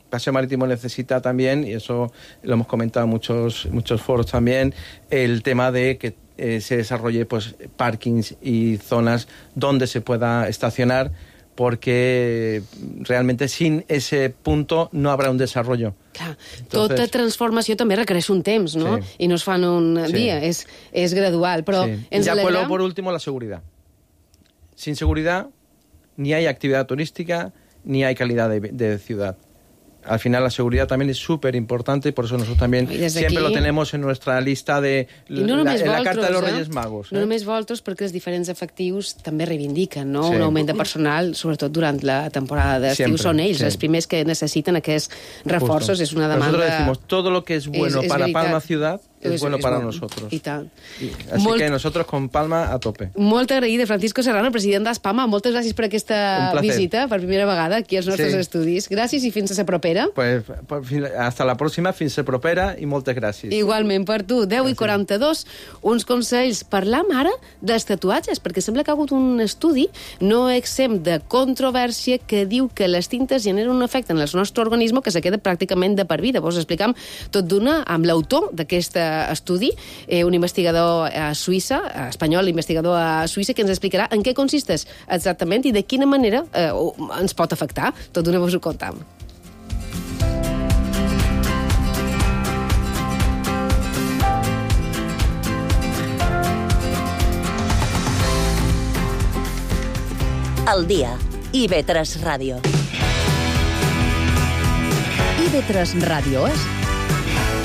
Paseo marítimo necesita también, y eso lo hemos comentado en muchos, muchos foros también, el tema de que eh, se desarrolle pues parkings y zonas donde se pueda estacionar, porque realmente sin ese punto no habrá un desarrollo.
Clar, Entonces, tota transformació també requereix un temps, ¿no? Sí. I no es fa en un sí. dia, és, és gradual. Però
sí.
ens
ya
alegrem...
por último, la seguridad. Sin seguridad ni hay actividad turística, ni hay calidad de, de ciudad. Al final la seguridad también es súper importante, por eso nosotros también siempre aquí... lo tenemos en nuestra lista de
no
la, en la
Voltros,
carta de los
eh?
Reyes Magos. Eh?
No només Voltros, perquè els diferents efectius també reivindiquen, no?
Sí.
Un augment de personal, sobretot durant la temporada d'estiu. Són ells
sí.
els primers que necessiten aquests reforços.
Justo.
És una demanda...
Nosotros decimos, todo lo que es bueno
és, és
para
veritat.
Palma Ciudad es,
És-
bueno
és
para
bo.
nosotros.
I tant.
Así
Molt-
que nosotros con Palma a tope.
Molt agraïda, Francisco Serrano, president d'Aspama. Moltes gràcies per aquesta
Un placer.
visita, per primera vegada, aquí als nostres
Sí.
estudis. Gràcies i fins a la propera.
Pues, pues, fin- hasta la próxima, fins se propera i moltes gràcies.
Igualment per tu. deu i quaranta-dos, uns consells. Parlam ara dels tatuatges, perquè sembla que ha hagut un estudi no exempt de controvèrsia que diu que les tintes generen un efecte en el nostre organisme que se queda pràcticament de per vida. Vos explicam tot d'una amb l'autor d'aquest estudi, eh, un investigador a Suïssa, eh, espanyol, investigador a Suïssa, que ens explicarà en què consisteix exactament i de quina manera eh, ens pot afectar. Tot d'una vos ho contam.
Al dia. I ve tres Ràdio.
I ve tres Ràdio és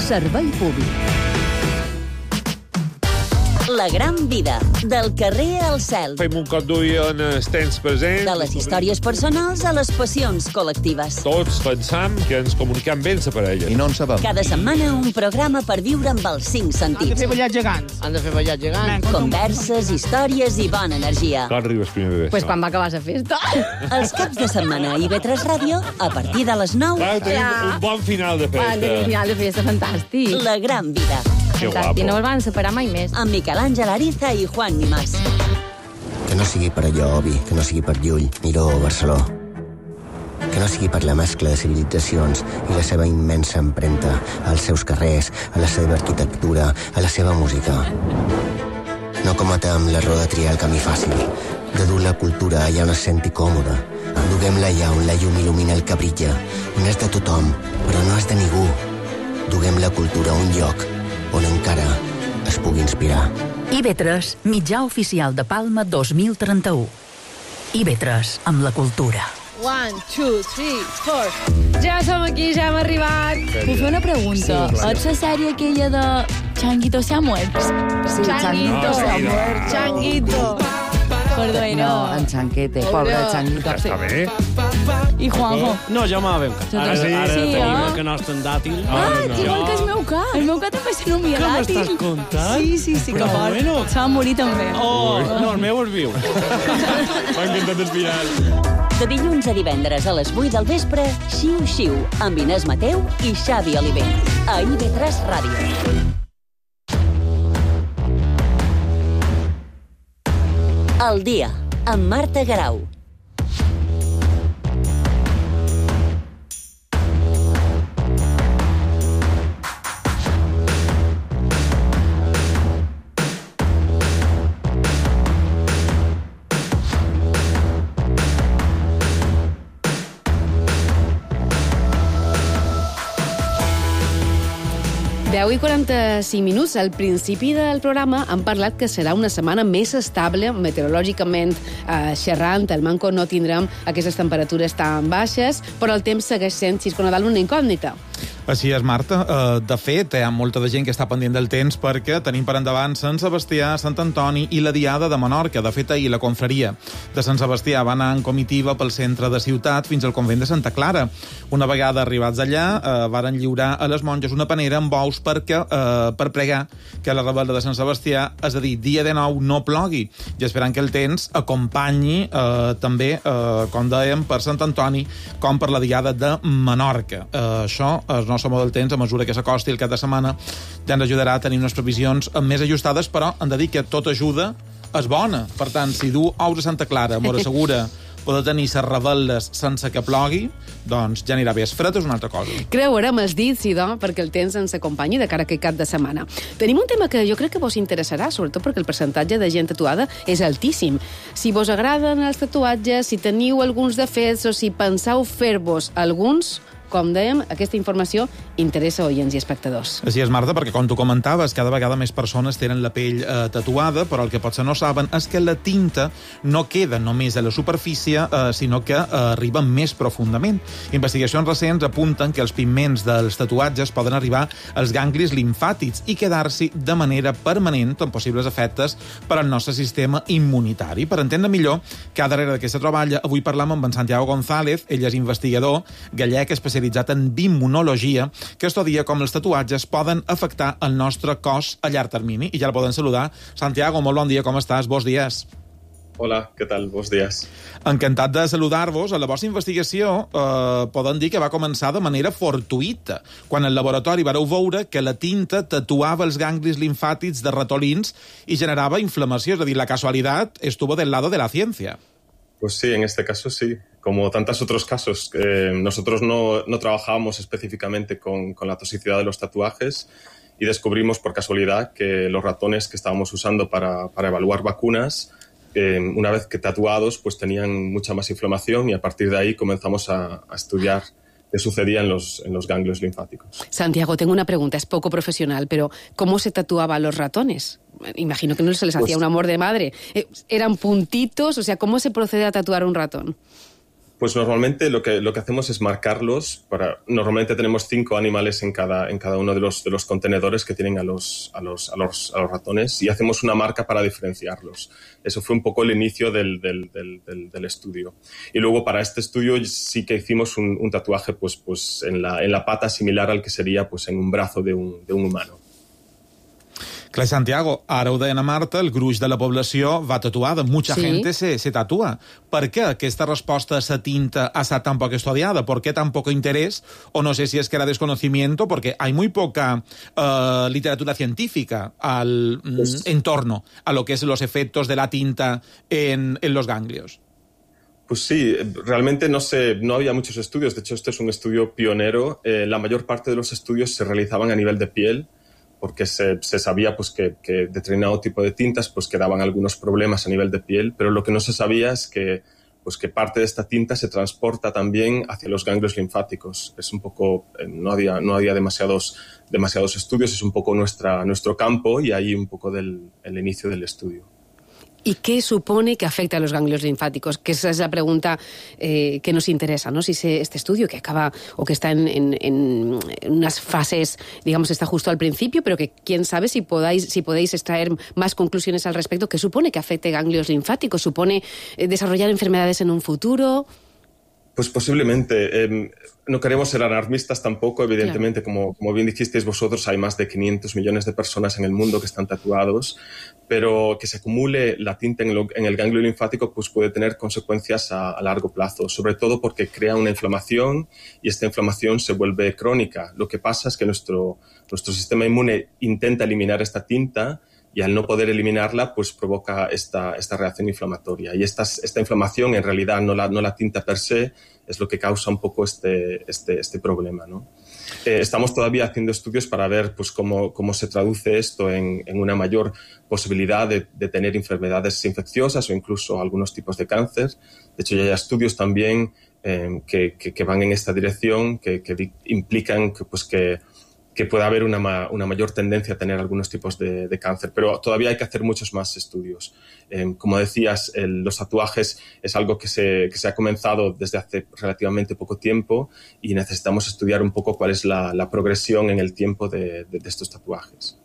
servei públic.
La gran vida, del carrer al cel.
Fem un cop d'ull en els temps presents.
De les històries personals a les passions col·lectives.
Tots pensam que ens comunicam bé amb la parella. I
no en sabem.
Cada setmana un programa per viure amb els cinc sentits.
Han de fer ballar gegants. Han de fer ballar gegants.
Converses, històries i bona energia.
Quan arribes primer de
Pues quan va acabar la festa.
Els caps de setmana a I V tres Ràdio, a partir de les nou...
Clar, tenim un bon final de
Va, tenim
festa.
final de festa fantàstic.
La gran vida.
Que
Fantàstic, no
guapo.
els van separar mai més.
Amb Miquel Àngel Ariza i Juan Nimàs.
Que no sigui per allò, Obi, que no sigui per Llull, Miró o Barceló. Que no sigui per la mescla de civilitzacions i la seva immensa empremta als seus carrers, a la seva arquitectura, a la seva música. No cometem l'error de triar el camí fàcil, de dur la cultura allà on es senti còmode. Duguem-la allà on la llum il·lumina el que brilla, on és de tothom, però no és de ningú. Duguem la cultura a un lloc on encara es pugui inspirar.
I V tres, mitjà oficial de Palma dos mil trenta-u. I V tres, amb la cultura.
One, two, three, four.
Ja som aquí, ja hem arribat.
Puc fer una pregunta?
Sí, clar.
Ets la sèrie aquella de Changuito se ha muerto?
Sí, Changuito se ha muerto.
Changuito.
Perdó, era...
No, en Chanquete, pobre Changuito.
Està bé.
I Juanjo?
No, ja m'ha ben
Ara
Ara,
sí,
ara
sí,
tenim
eh?
el canasta en dàtil.
Ah, igual que el meu ca. El meu ca també s'anomia
Què
dàtil.
m'estàs contant?
Sí, sí, sí, que
Però
fort.
bueno.
Se va morir també.
Oh, no, el meu és viu.
M'ha encantat el final.
De dilluns a divendres a les vuit del vespre, Xiu Xiu, amb Inés Mateu i Xavi Oliver. A I V tres Ràdio. El dia, amb Marta Garau.
deu i quaranta-cinc minuts. Al principi del programa han parlat que serà una setmana més estable meteorològicament eh, xerrant. El Manco no tindrem aquestes temperatures tan baixes, però el temps segueix sent, Xisco Nadal, una incògnita.
Així és, Marta. Uh, de fet, hi ha molta de gent que està pendent del temps perquè tenim per endavant Sant Sebastià, Sant Antoni i la Diada de Menorca. De fet, ahir la confraria de Sant Sebastià va anar en comitiva pel centre de ciutat fins al convent de Santa Clara. Una vegada arribats allà, uh, varen lliurar a les monges una panera amb bous perquè, uh, per pregar que la rebel·la de Sant Sebastià, és a dir, dia de nou, no plogui, i esperant que el temps acompanyi uh, també, uh, com dèiem, per Sant Antoni com per la Diada de Menorca. Uh, això és nostre model del temps, a mesura que s'acosti el cap de setmana, ja ens ajudarà a tenir unes previsions més ajustades, però hem de dir que tota ajuda és bona. Per tant, si du ous a Santa Clara, mos assegura poder tenir les rebel·les sense que plogui, doncs ja anirà bé. Es fred és una altra cosa.
Creurem els dits, sí, doncs, perquè el temps ens acompanyi de cara a aquest cap de setmana. Tenim un tema que jo crec que vos interessarà, sobretot perquè el percentatge de gent tatuada és altíssim. Si vos agraden els tatuatges, si teniu alguns defectes o si penseu fer-vos alguns, com dèiem, aquesta informació interessa oients i espectadors.
Així és, Marta, perquè com tu comentaves, cada vegada més persones tenen la pell eh, tatuada, però el que potser no saben és que la tinta no queda només a la superfície, eh, sinó que eh, arriba més profundament. Investigacions recents apunten que els pigments dels tatuatges poden arribar als ganglis limfàtics i quedar-s'hi de manera permanent amb possibles efectes per al nostre sistema immunitari. Per entendre millor que darrere d'aquesta troballa, avui parlam amb en Santiago González, ell és investigador gallec especialitzat especialitzat en bioimmunologia, que estudia com els tatuatges poden afectar el nostre cos a llarg termini. I ja el poden saludar. Santiago, molt bon dia, com estàs? Bons dies.
Hola, què tal? Bons dies.
Encantat de saludar-vos. A la vostra investigació eh, poden dir que va començar de manera fortuïta, quan al laboratori vareu veure que la tinta tatuava els ganglis limfàtics de ratolins i generava inflamació. És a dir, la casualitat estuvo del lado de la ciencia.
Pues sí, en este caso sí. Como tantos otros casos, eh, nosotros no, no trabajábamos específicamente con, con la toxicidad de los tatuajes y descubrimos por casualidad que los ratones que estábamos usando para, para evaluar vacunas, Eh, una vez que tatuados, pues tenían mucha más inflamación y a partir de ahí comenzamos a, a estudiar qué sucedía en los, en los ganglios linfáticos.
Santiago, tengo una pregunta, es poco profesional, pero ¿cómo se tatuaba a los ratones? Imagino que no se les hacía pues, un amor de madre. ¿Eran puntitos? O sea, ¿cómo se procede a tatuar un ratón?
Pues normalmente lo que, lo que hacemos es marcarlos. Para, normalmente tenemos cinco animales en cada, en cada uno de los, de los contenedores que tienen a los, a, los, a, los, a los ratones y hacemos una marca para diferenciarlos. Eso fue un poco el inicio del, del, del, del, del estudio. Y luego para este estudio sí que hicimos un, un tatuaje pues, pues en, la, en la pata similar al que sería pues, en un brazo de un, de un humano.
Clar, Santiago, ara ho deien a Marta, el gruix de la població va tatuada. Mucha sí. gente se, se tatúa. Per què aquesta resposta a esa tinta ha estat tan poc estudiada? ¿Por qué tan poco interés? O no sé si es que era desconocimiento, porque hay muy poca uh, literatura científica al, pues, en torno a lo que es los efectos de la tinta en, en los ganglios.
Pues sí, realmente no sé, no había muchos estudios. De hecho, este es un estudio pionero. Eh, la mayor parte de los estudios se realizaban a nivel de piel, porque se, se sabía pues, que, que determinado tipo de tintas pues, que daban algunos problemas a nivel de piel, pero lo que no se sabía es que, pues, que parte de esta tinta se transporta también hacia los ganglios linfáticos. Es un poco, no había, no había demasiados, demasiados estudios, es un poco nuestra, nuestro campo y ahí un poco del, el inicio del estudio.
¿Y qué supone que afecta a los ganglios linfáticos? Que esa es la pregunta eh, que nos interesa, ¿no? Si se, este estudio que acaba o que está en, en, en unas fases, digamos, está justo al principio, pero que quién sabe si podáis, si podéis extraer más conclusiones al respecto. ¿Qué supone que afecte ganglios linfáticos? ¿Supone eh, desarrollar enfermedades en un futuro?
Pues posiblemente. Eh, no queremos ser alarmistas tampoco, evidentemente, claro. como, como bien dijisteis vosotros, hay más de quinientos millones de personas en el mundo que están tatuados, pero que se acumule la tinta en, lo, en el ganglio linfático pues puede tener consecuencias a, a largo plazo, sobre todo porque crea una inflamación y esta inflamación se vuelve crónica. Lo que pasa es que nuestro, nuestro sistema inmune intenta eliminar esta tinta y al no poder eliminarla, pues provoca esta, esta reacción inflamatoria. Y esta, esta inflamación, en realidad, no la, no la tinta per se, es lo que causa un poco este, este, este problema, ¿no? Eh, estamos todavía haciendo estudios para ver pues, cómo, cómo se traduce esto en, en una mayor posibilidad de, de tener enfermedades infecciosas o incluso algunos tipos de cáncer. De hecho, ya hay estudios también eh, que, que, que van en esta dirección, que, que implican que, pues, que que pueda haber una, ma una mayor tendencia a tener algunos tipos de, de cáncer, pero todavía hay que hacer muchos más estudios. Eh, como decías, el, los tatuajes es algo que se, que se ha comenzado desde hace relativamente poco tiempo y necesitamos estudiar un poco cuál es la, la progresión en el tiempo de, de, de estos tatuajes.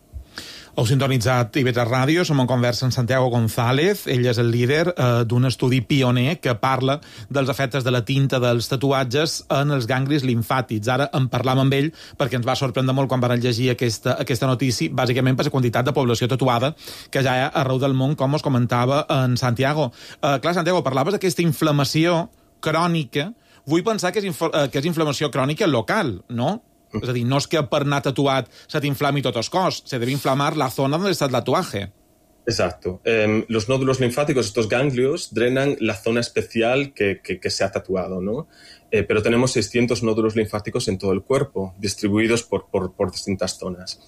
Heu sintonitzat I V tres Ràdio, som en conversa amb Santiago González. Ell és el líder eh, d'un estudi pioner que parla dels efectes de la tinta dels tatuatges en els ganglis linfàtics. Ara en parlam amb ell perquè ens va sorprendre molt quan van llegir aquesta, aquesta notícia, bàsicament per la quantitat de població tatuada que ja hi ha arreu del món, com us comentava en Santiago. Eh, clar, Santiago, parlaves d'aquesta inflamació crònica. Vull pensar que és, eh, que és inflamació crònica local, no? És a dir, no és que per anar tatuat se t'inflami tot el cos, se debe inflamar la zona donde está el tatuaje.
Exacto. Eh, los nódulos linfáticos, estos ganglios, drenan la zona especial que, que, que se ha tatuado, ¿no? Eh, pero tenemos seiscientos nódulos linfáticos en todo el cuerpo, distribuidos por, por, por distintas zonas.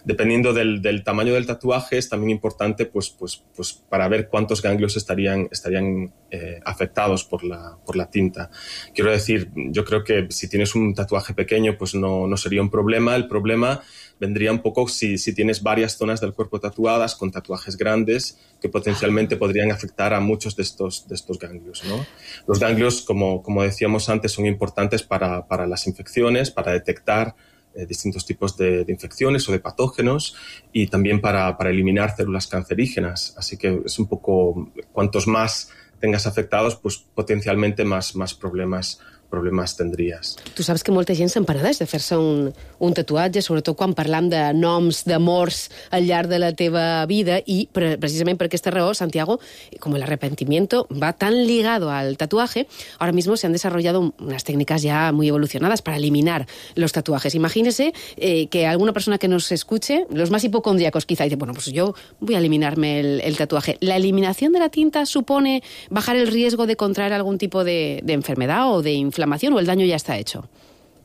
Dependiendo del, del tamaño del tatuaje, es también importante pues, pues, pues, para ver cuántos ganglios estarían, estarían eh, afectados por la, por la tinta. Quiero decir, yo creo que si tienes un tatuaje pequeño, pues no, no sería un problema. El problema vendría un poco si, si tienes varias zonas del cuerpo tatuadas con tatuajes grandes que potencialmente podrían afectar a muchos de estos, de estos ganglios, ¿no? Los ganglios, como, como decíamos antes, son importantes para, para las infecciones, para detectar Eh, distintos tipos de, de infecciones o de patógenos y también para, para eliminar células cancerígenas. Así que es un poco, cuantos más tengas afectados, pues potencialmente más, más problemas problemes tindries.
Tu saps que molta gent s'emperadeix de fer-se un, un tatuatge, sobretot quan parlam de noms, d'amors al llarg de la teva vida, i pre precisament per aquesta raó, Santiago, como el arrepentimiento va tan ligado al tatuaje, ahora mismo se han desarrollado unas técnicas ya muy evolucionadas para eliminar los tatuajes. Imagínese eh, que alguna persona que nos escuche, los más hipocondríacos quizá, dice, bueno, pues yo voy a eliminarme el, el tatuaje. ¿La eliminación de la tinta supone bajar el riesgo de contraer algún tipo de, de enfermedad o de inflamación, o el daño ya está hecho?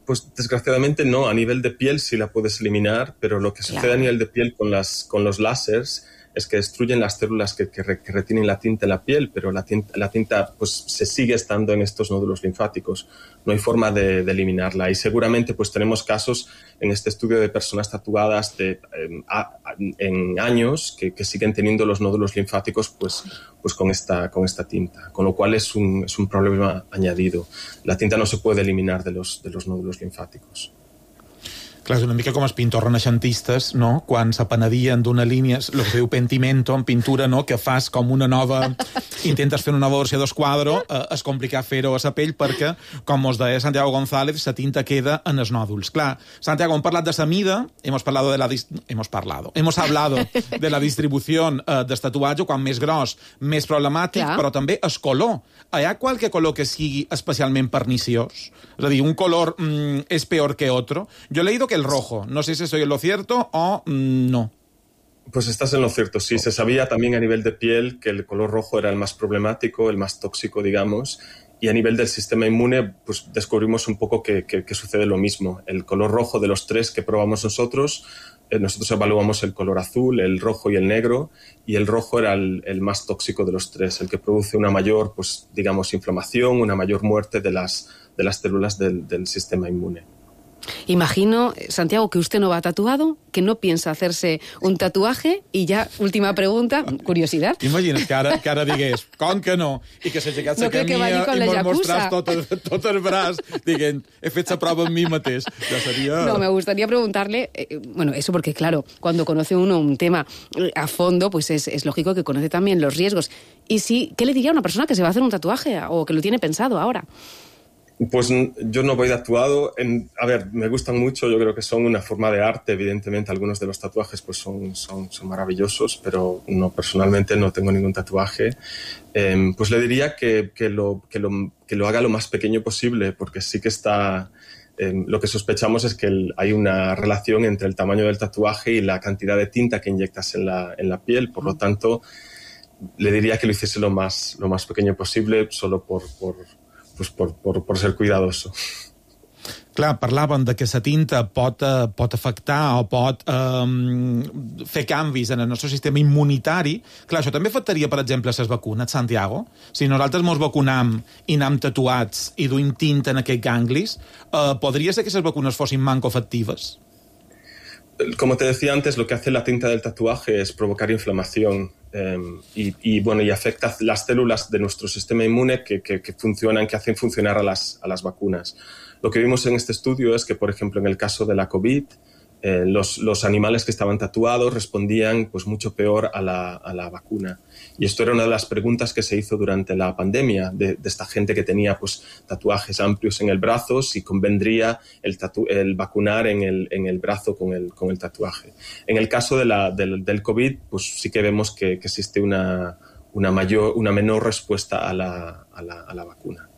Pues desgraciadamente no, a nivel de piel sí la puedes eliminar, pero lo que sucede claro. a nivel de piel con, las, con los láseres es que destruyen las células que, que, re, que retienen la tinta en la piel, pero la tinta, la tinta pues, se sigue estando en estos nódulos linfáticos. No hay forma de, de eliminarla. Y seguramente pues, tenemos casos en este estudio de personas tatuadas de, eh, a, en años que, que siguen teniendo los nódulos linfáticos pues, pues con, esta, con esta tinta, con lo cual es un, es un problema añadido. La tinta no se puede eliminar de los, de los nódulos linfáticos.
Clar, és una mica com els pintors renaixentistes, no? Quan s'apenedien d'una línia, el que es diu pentimento, en pintura, no? Que fas com una nova... Intentes fer una nova versió d'esquadro, eh, és complicat fer-ho a la pell perquè, com us deia Santiago González, la tinta queda en els nòduls. Clar, Santiago, hem parlat de la mida, hemos parlado de la... Hemos parlado. Hemos hablado de la distribució eh, del tatuatge, quan més gros, més problemàtic, Clar. Però també el color. Hi ha qualque color que sigui especialment perniciós? És a dir, un color mm, és peor que otro. Jo he leído que el rojo. No sé si soy en lo cierto o mm, no.
Pues estás en lo cierto, sí. Se sabía también a nivel de piel que el color rojo era el más problemático, el más tóxico, digamos, y a nivel del sistema inmune pues descubrimos un poco que, que, que sucede lo mismo. El color rojo de los tres que probamos nosotros, eh, nosotros evaluamos el color azul, el rojo y el negro, y el rojo era el, el más tóxico de los tres, el que produce una mayor, pues digamos, inflamación, una mayor muerte de las, de las células del, del sistema inmune.
Imagino, Santiago, que usted no va tatuado, que no piensa hacerse un tatuaje, y ya, última pregunta, curiosidad.
Imagina't que ara, que ara digués, com que no, i que s'aixecat
no
la camilla
que
i mos mostràs tot, el, tot el braç, dient, he fet la prova amb mi mateix. Ja seria...
No, me gustaría preguntarle, eh, bueno, eso porque, claro, cuando conoce uno un tema a fondo, pues es, es lógico que conoce también los riesgos. Y sí, ¿qué le diría a una persona que se va a hacer un tatuaje o que lo tiene pensado ahora?
Pues yo no voy tatuado. En, a ver, me gustan mucho, yo creo que son una forma de arte, evidentemente algunos de los tatuajes pues son, son, son maravillosos, pero no, personalmente no tengo ningún tatuaje. Eh, pues le diría que, que, lo, que, lo, que lo haga lo más pequeño posible, porque sí que está... Eh, lo que sospechamos es que el, hay una relación entre el tamaño del tatuaje y la cantidad de tinta que inyectas en la, en la piel, por lo tanto le diría que lo hiciese lo más, lo más pequeño posible, solo por... por Pues por, por, por ser cuidadoso.
Clar, parlaven de que la tinta pot, uh, pot afectar o pot um, fer canvis en el nostre sistema immunitari. Clar, això també afectaria, per exemple, les vacunes, Santiago. Si nosaltres ens vacunam i anem tatuats i duim tinta en aquests ganglis, uh, podria ser que les vacunes fossin manco efectives?
Como te decía antes, lo que hace la tinta del tatuaje es provocar inflamación eh, y, y, bueno, y afecta las células de nuestro sistema inmune que, que, que funcionan, que hacen funcionar a las, a las vacunas. Lo que vimos en este estudio es que, por ejemplo, en el caso de la COVID, eh, los, los animales que estaban tatuados respondían pues, mucho peor a la, a la vacuna. Y esto era una de las preguntas que se hizo durante la pandemia de, de esta gente que tenía pues, tatuajes amplios en el brazo, si convendría el, tatu el vacunar en el, en el brazo con el, con el tatuaje. En el caso de la, del, del COVID, pues sí que vemos que, que existe una, una, mayor, una menor respuesta a la, a la, a la vacuna.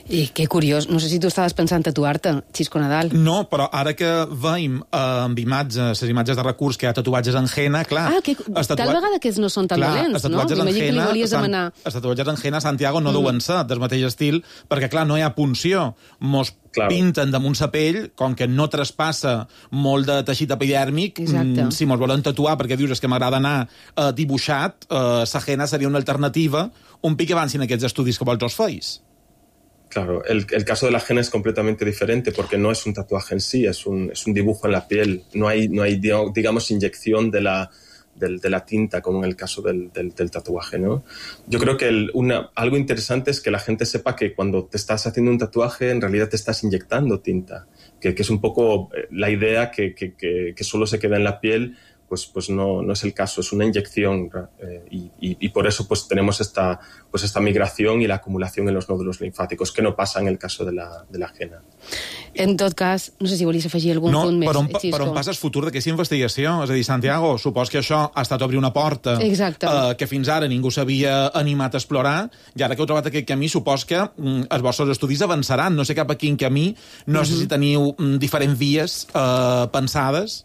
I que curiós, no sé si tu estaves pensant tatuar-te, Xisco Nadal.
No, però ara que veiem eh, amb imatges, les imatges de recurs que hi ha tatuatges en henna, clar...
Ah, que
tatuat...
tal vegada que no són tan
clar,
dolents, no? M'imagino que li volies
San...
demanar...
Els tatuatges en henna, Santiago, no mm. deuen ser del mateix estil, perquè, clar, no hi ha punció. Mos claro. pinten damunt sa pell, com que no traspassa molt de teixit epidèrmic, mm, si mos volen tatuar, perquè dius que m'agrada anar eh, dibuixat, eh, sa henna seria una alternativa, un pic avancin aquests estudis que vols feis.
Claro, el, el caso de la henna es completamente diferente porque no es un tatuaje en sí, es un, es un dibujo en la piel. No hay, no hay digamos, inyección de la, de, de la tinta como en el caso del, del, del tatuaje, ¿no? Yo creo que el, una, algo interesante es que la gente sepa que cuando te estás haciendo un tatuaje en realidad te estás inyectando tinta, que, que es un poco la idea que, que, que, que solo se queda en la piel pues, pues no, no es el caso, es una inyección eh, y, y, y por eso pues tenemos esta, pues esta migración y la acumulación en los nódulos linfàticos, que no passa en el caso de la, de la Jena.
En tot cas, no sé si volies afegir algun
no,
punt més.
Per on, per on passa el futur d'aquesta investigació? És a dir, Santiago, supos que això ha estat obrir una porta eh, que fins ara ningú s'havia animat a explorar, i ara que heu trobat aquest camí, supos que mm, els vostres estudis avançaran. No sé cap a quin camí, no uh-huh. sé si teniu mm, diferents vies eh, pensades.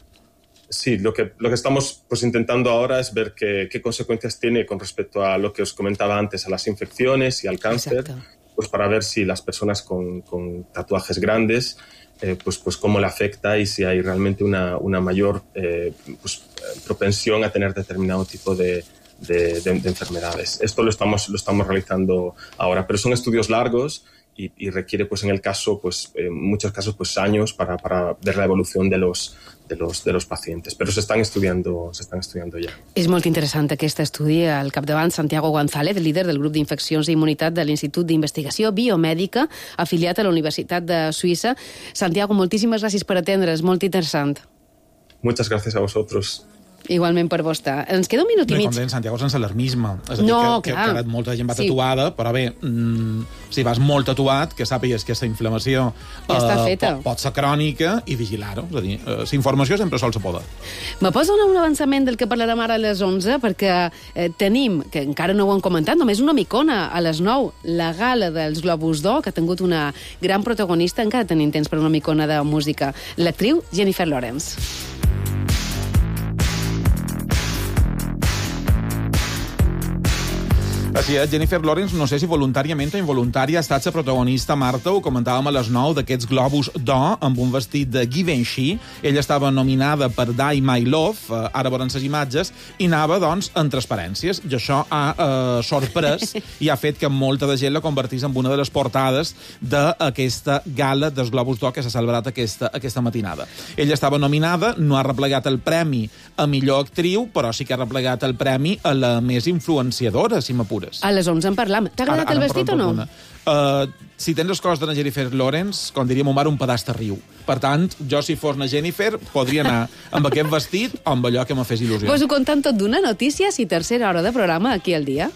Sí, lo que, lo que estamos pues, intentando ahora es ver qué, qué consecuencias tiene con respecto a lo que os comentaba antes, a las infecciones y al cáncer. Exacto. Pues para ver si las personas con, con tatuajes grandes, eh, pues, pues cómo le afecta y si hay realmente una, una mayor eh, pues, propensión a tener determinado tipo de, de, de, de enfermedades. Esto lo estamos, lo estamos realizando ahora, pero son estudios largos y, y requiere, pues en el caso, pues en muchos casos, pues años para, para ver la evolución de los, de los, de los pacientes. Pero se están estudiando, se están estudiando ja.
És molt interessant aquest estudi. Al capdavant, Santiago González, líder del grup d'infeccions i immunitat de l'Institut d'Investigació Biomèdica, afiliat a la Universitat de Suïssa. Santiago, moltíssimes gràcies per atendre's, molt interessant.
Muchas gracias a vosotros.
Igualment per vostè. Ens queda un minut i
no,
mig.
Com deien, Santiago, sense alarmisme. És a dir,
no,
que,
clar.
que, que molta gent va tatuada, sí. Però bé, mm, si vas molt tatuat, que sàpigues que aquesta inflamació
ja està feta.
Pot, pot ser crònica i vigilar-ho. És a dir, eh, la informació sempre sol se poder.
Me pots donar un avançament del que parlarem ara a les onze? Perquè eh, tenim, que encara no ho hem comentat, només una micona a les nou, la gala dels Globus d'Or, que ha tingut una gran protagonista, encara tenim temps per una micona de música, l'actriu Jennifer Lawrence.
Així és, Jennifer Lawrence, no sé si voluntàriament o involuntària, ha estat la protagonista, Marta, ho comentàvem a les nou, d'aquests Globus d'Or, amb un vestit de Givenchy. Ella estava nominada per Die My Love, eh, ara veurem les imatges, i anava, doncs, en transparències. I això ha eh, sorprès i ha fet que molta de gent la convertís en una de les portades d'aquesta gala dels Globus d'Or que s'ha celebrat aquesta, aquesta matinada. Ella estava nominada, no ha replegat el premi a millor actriu, però sí que ha replegat el premi a la més influenciadora, si m'apures.
A les onze en parlam. T'ha agradat el vestit o no?
Uh, si tens les coses de la Jennifer Lawrence, com diria mon mare, un pedaç de riu. Per tant, jo si fos na Jennifer, podria anar amb aquest vestit o amb allò que me fes il·lusió.
Pues ho contant tot d'una, notícies i tercera hora de programa aquí al dia.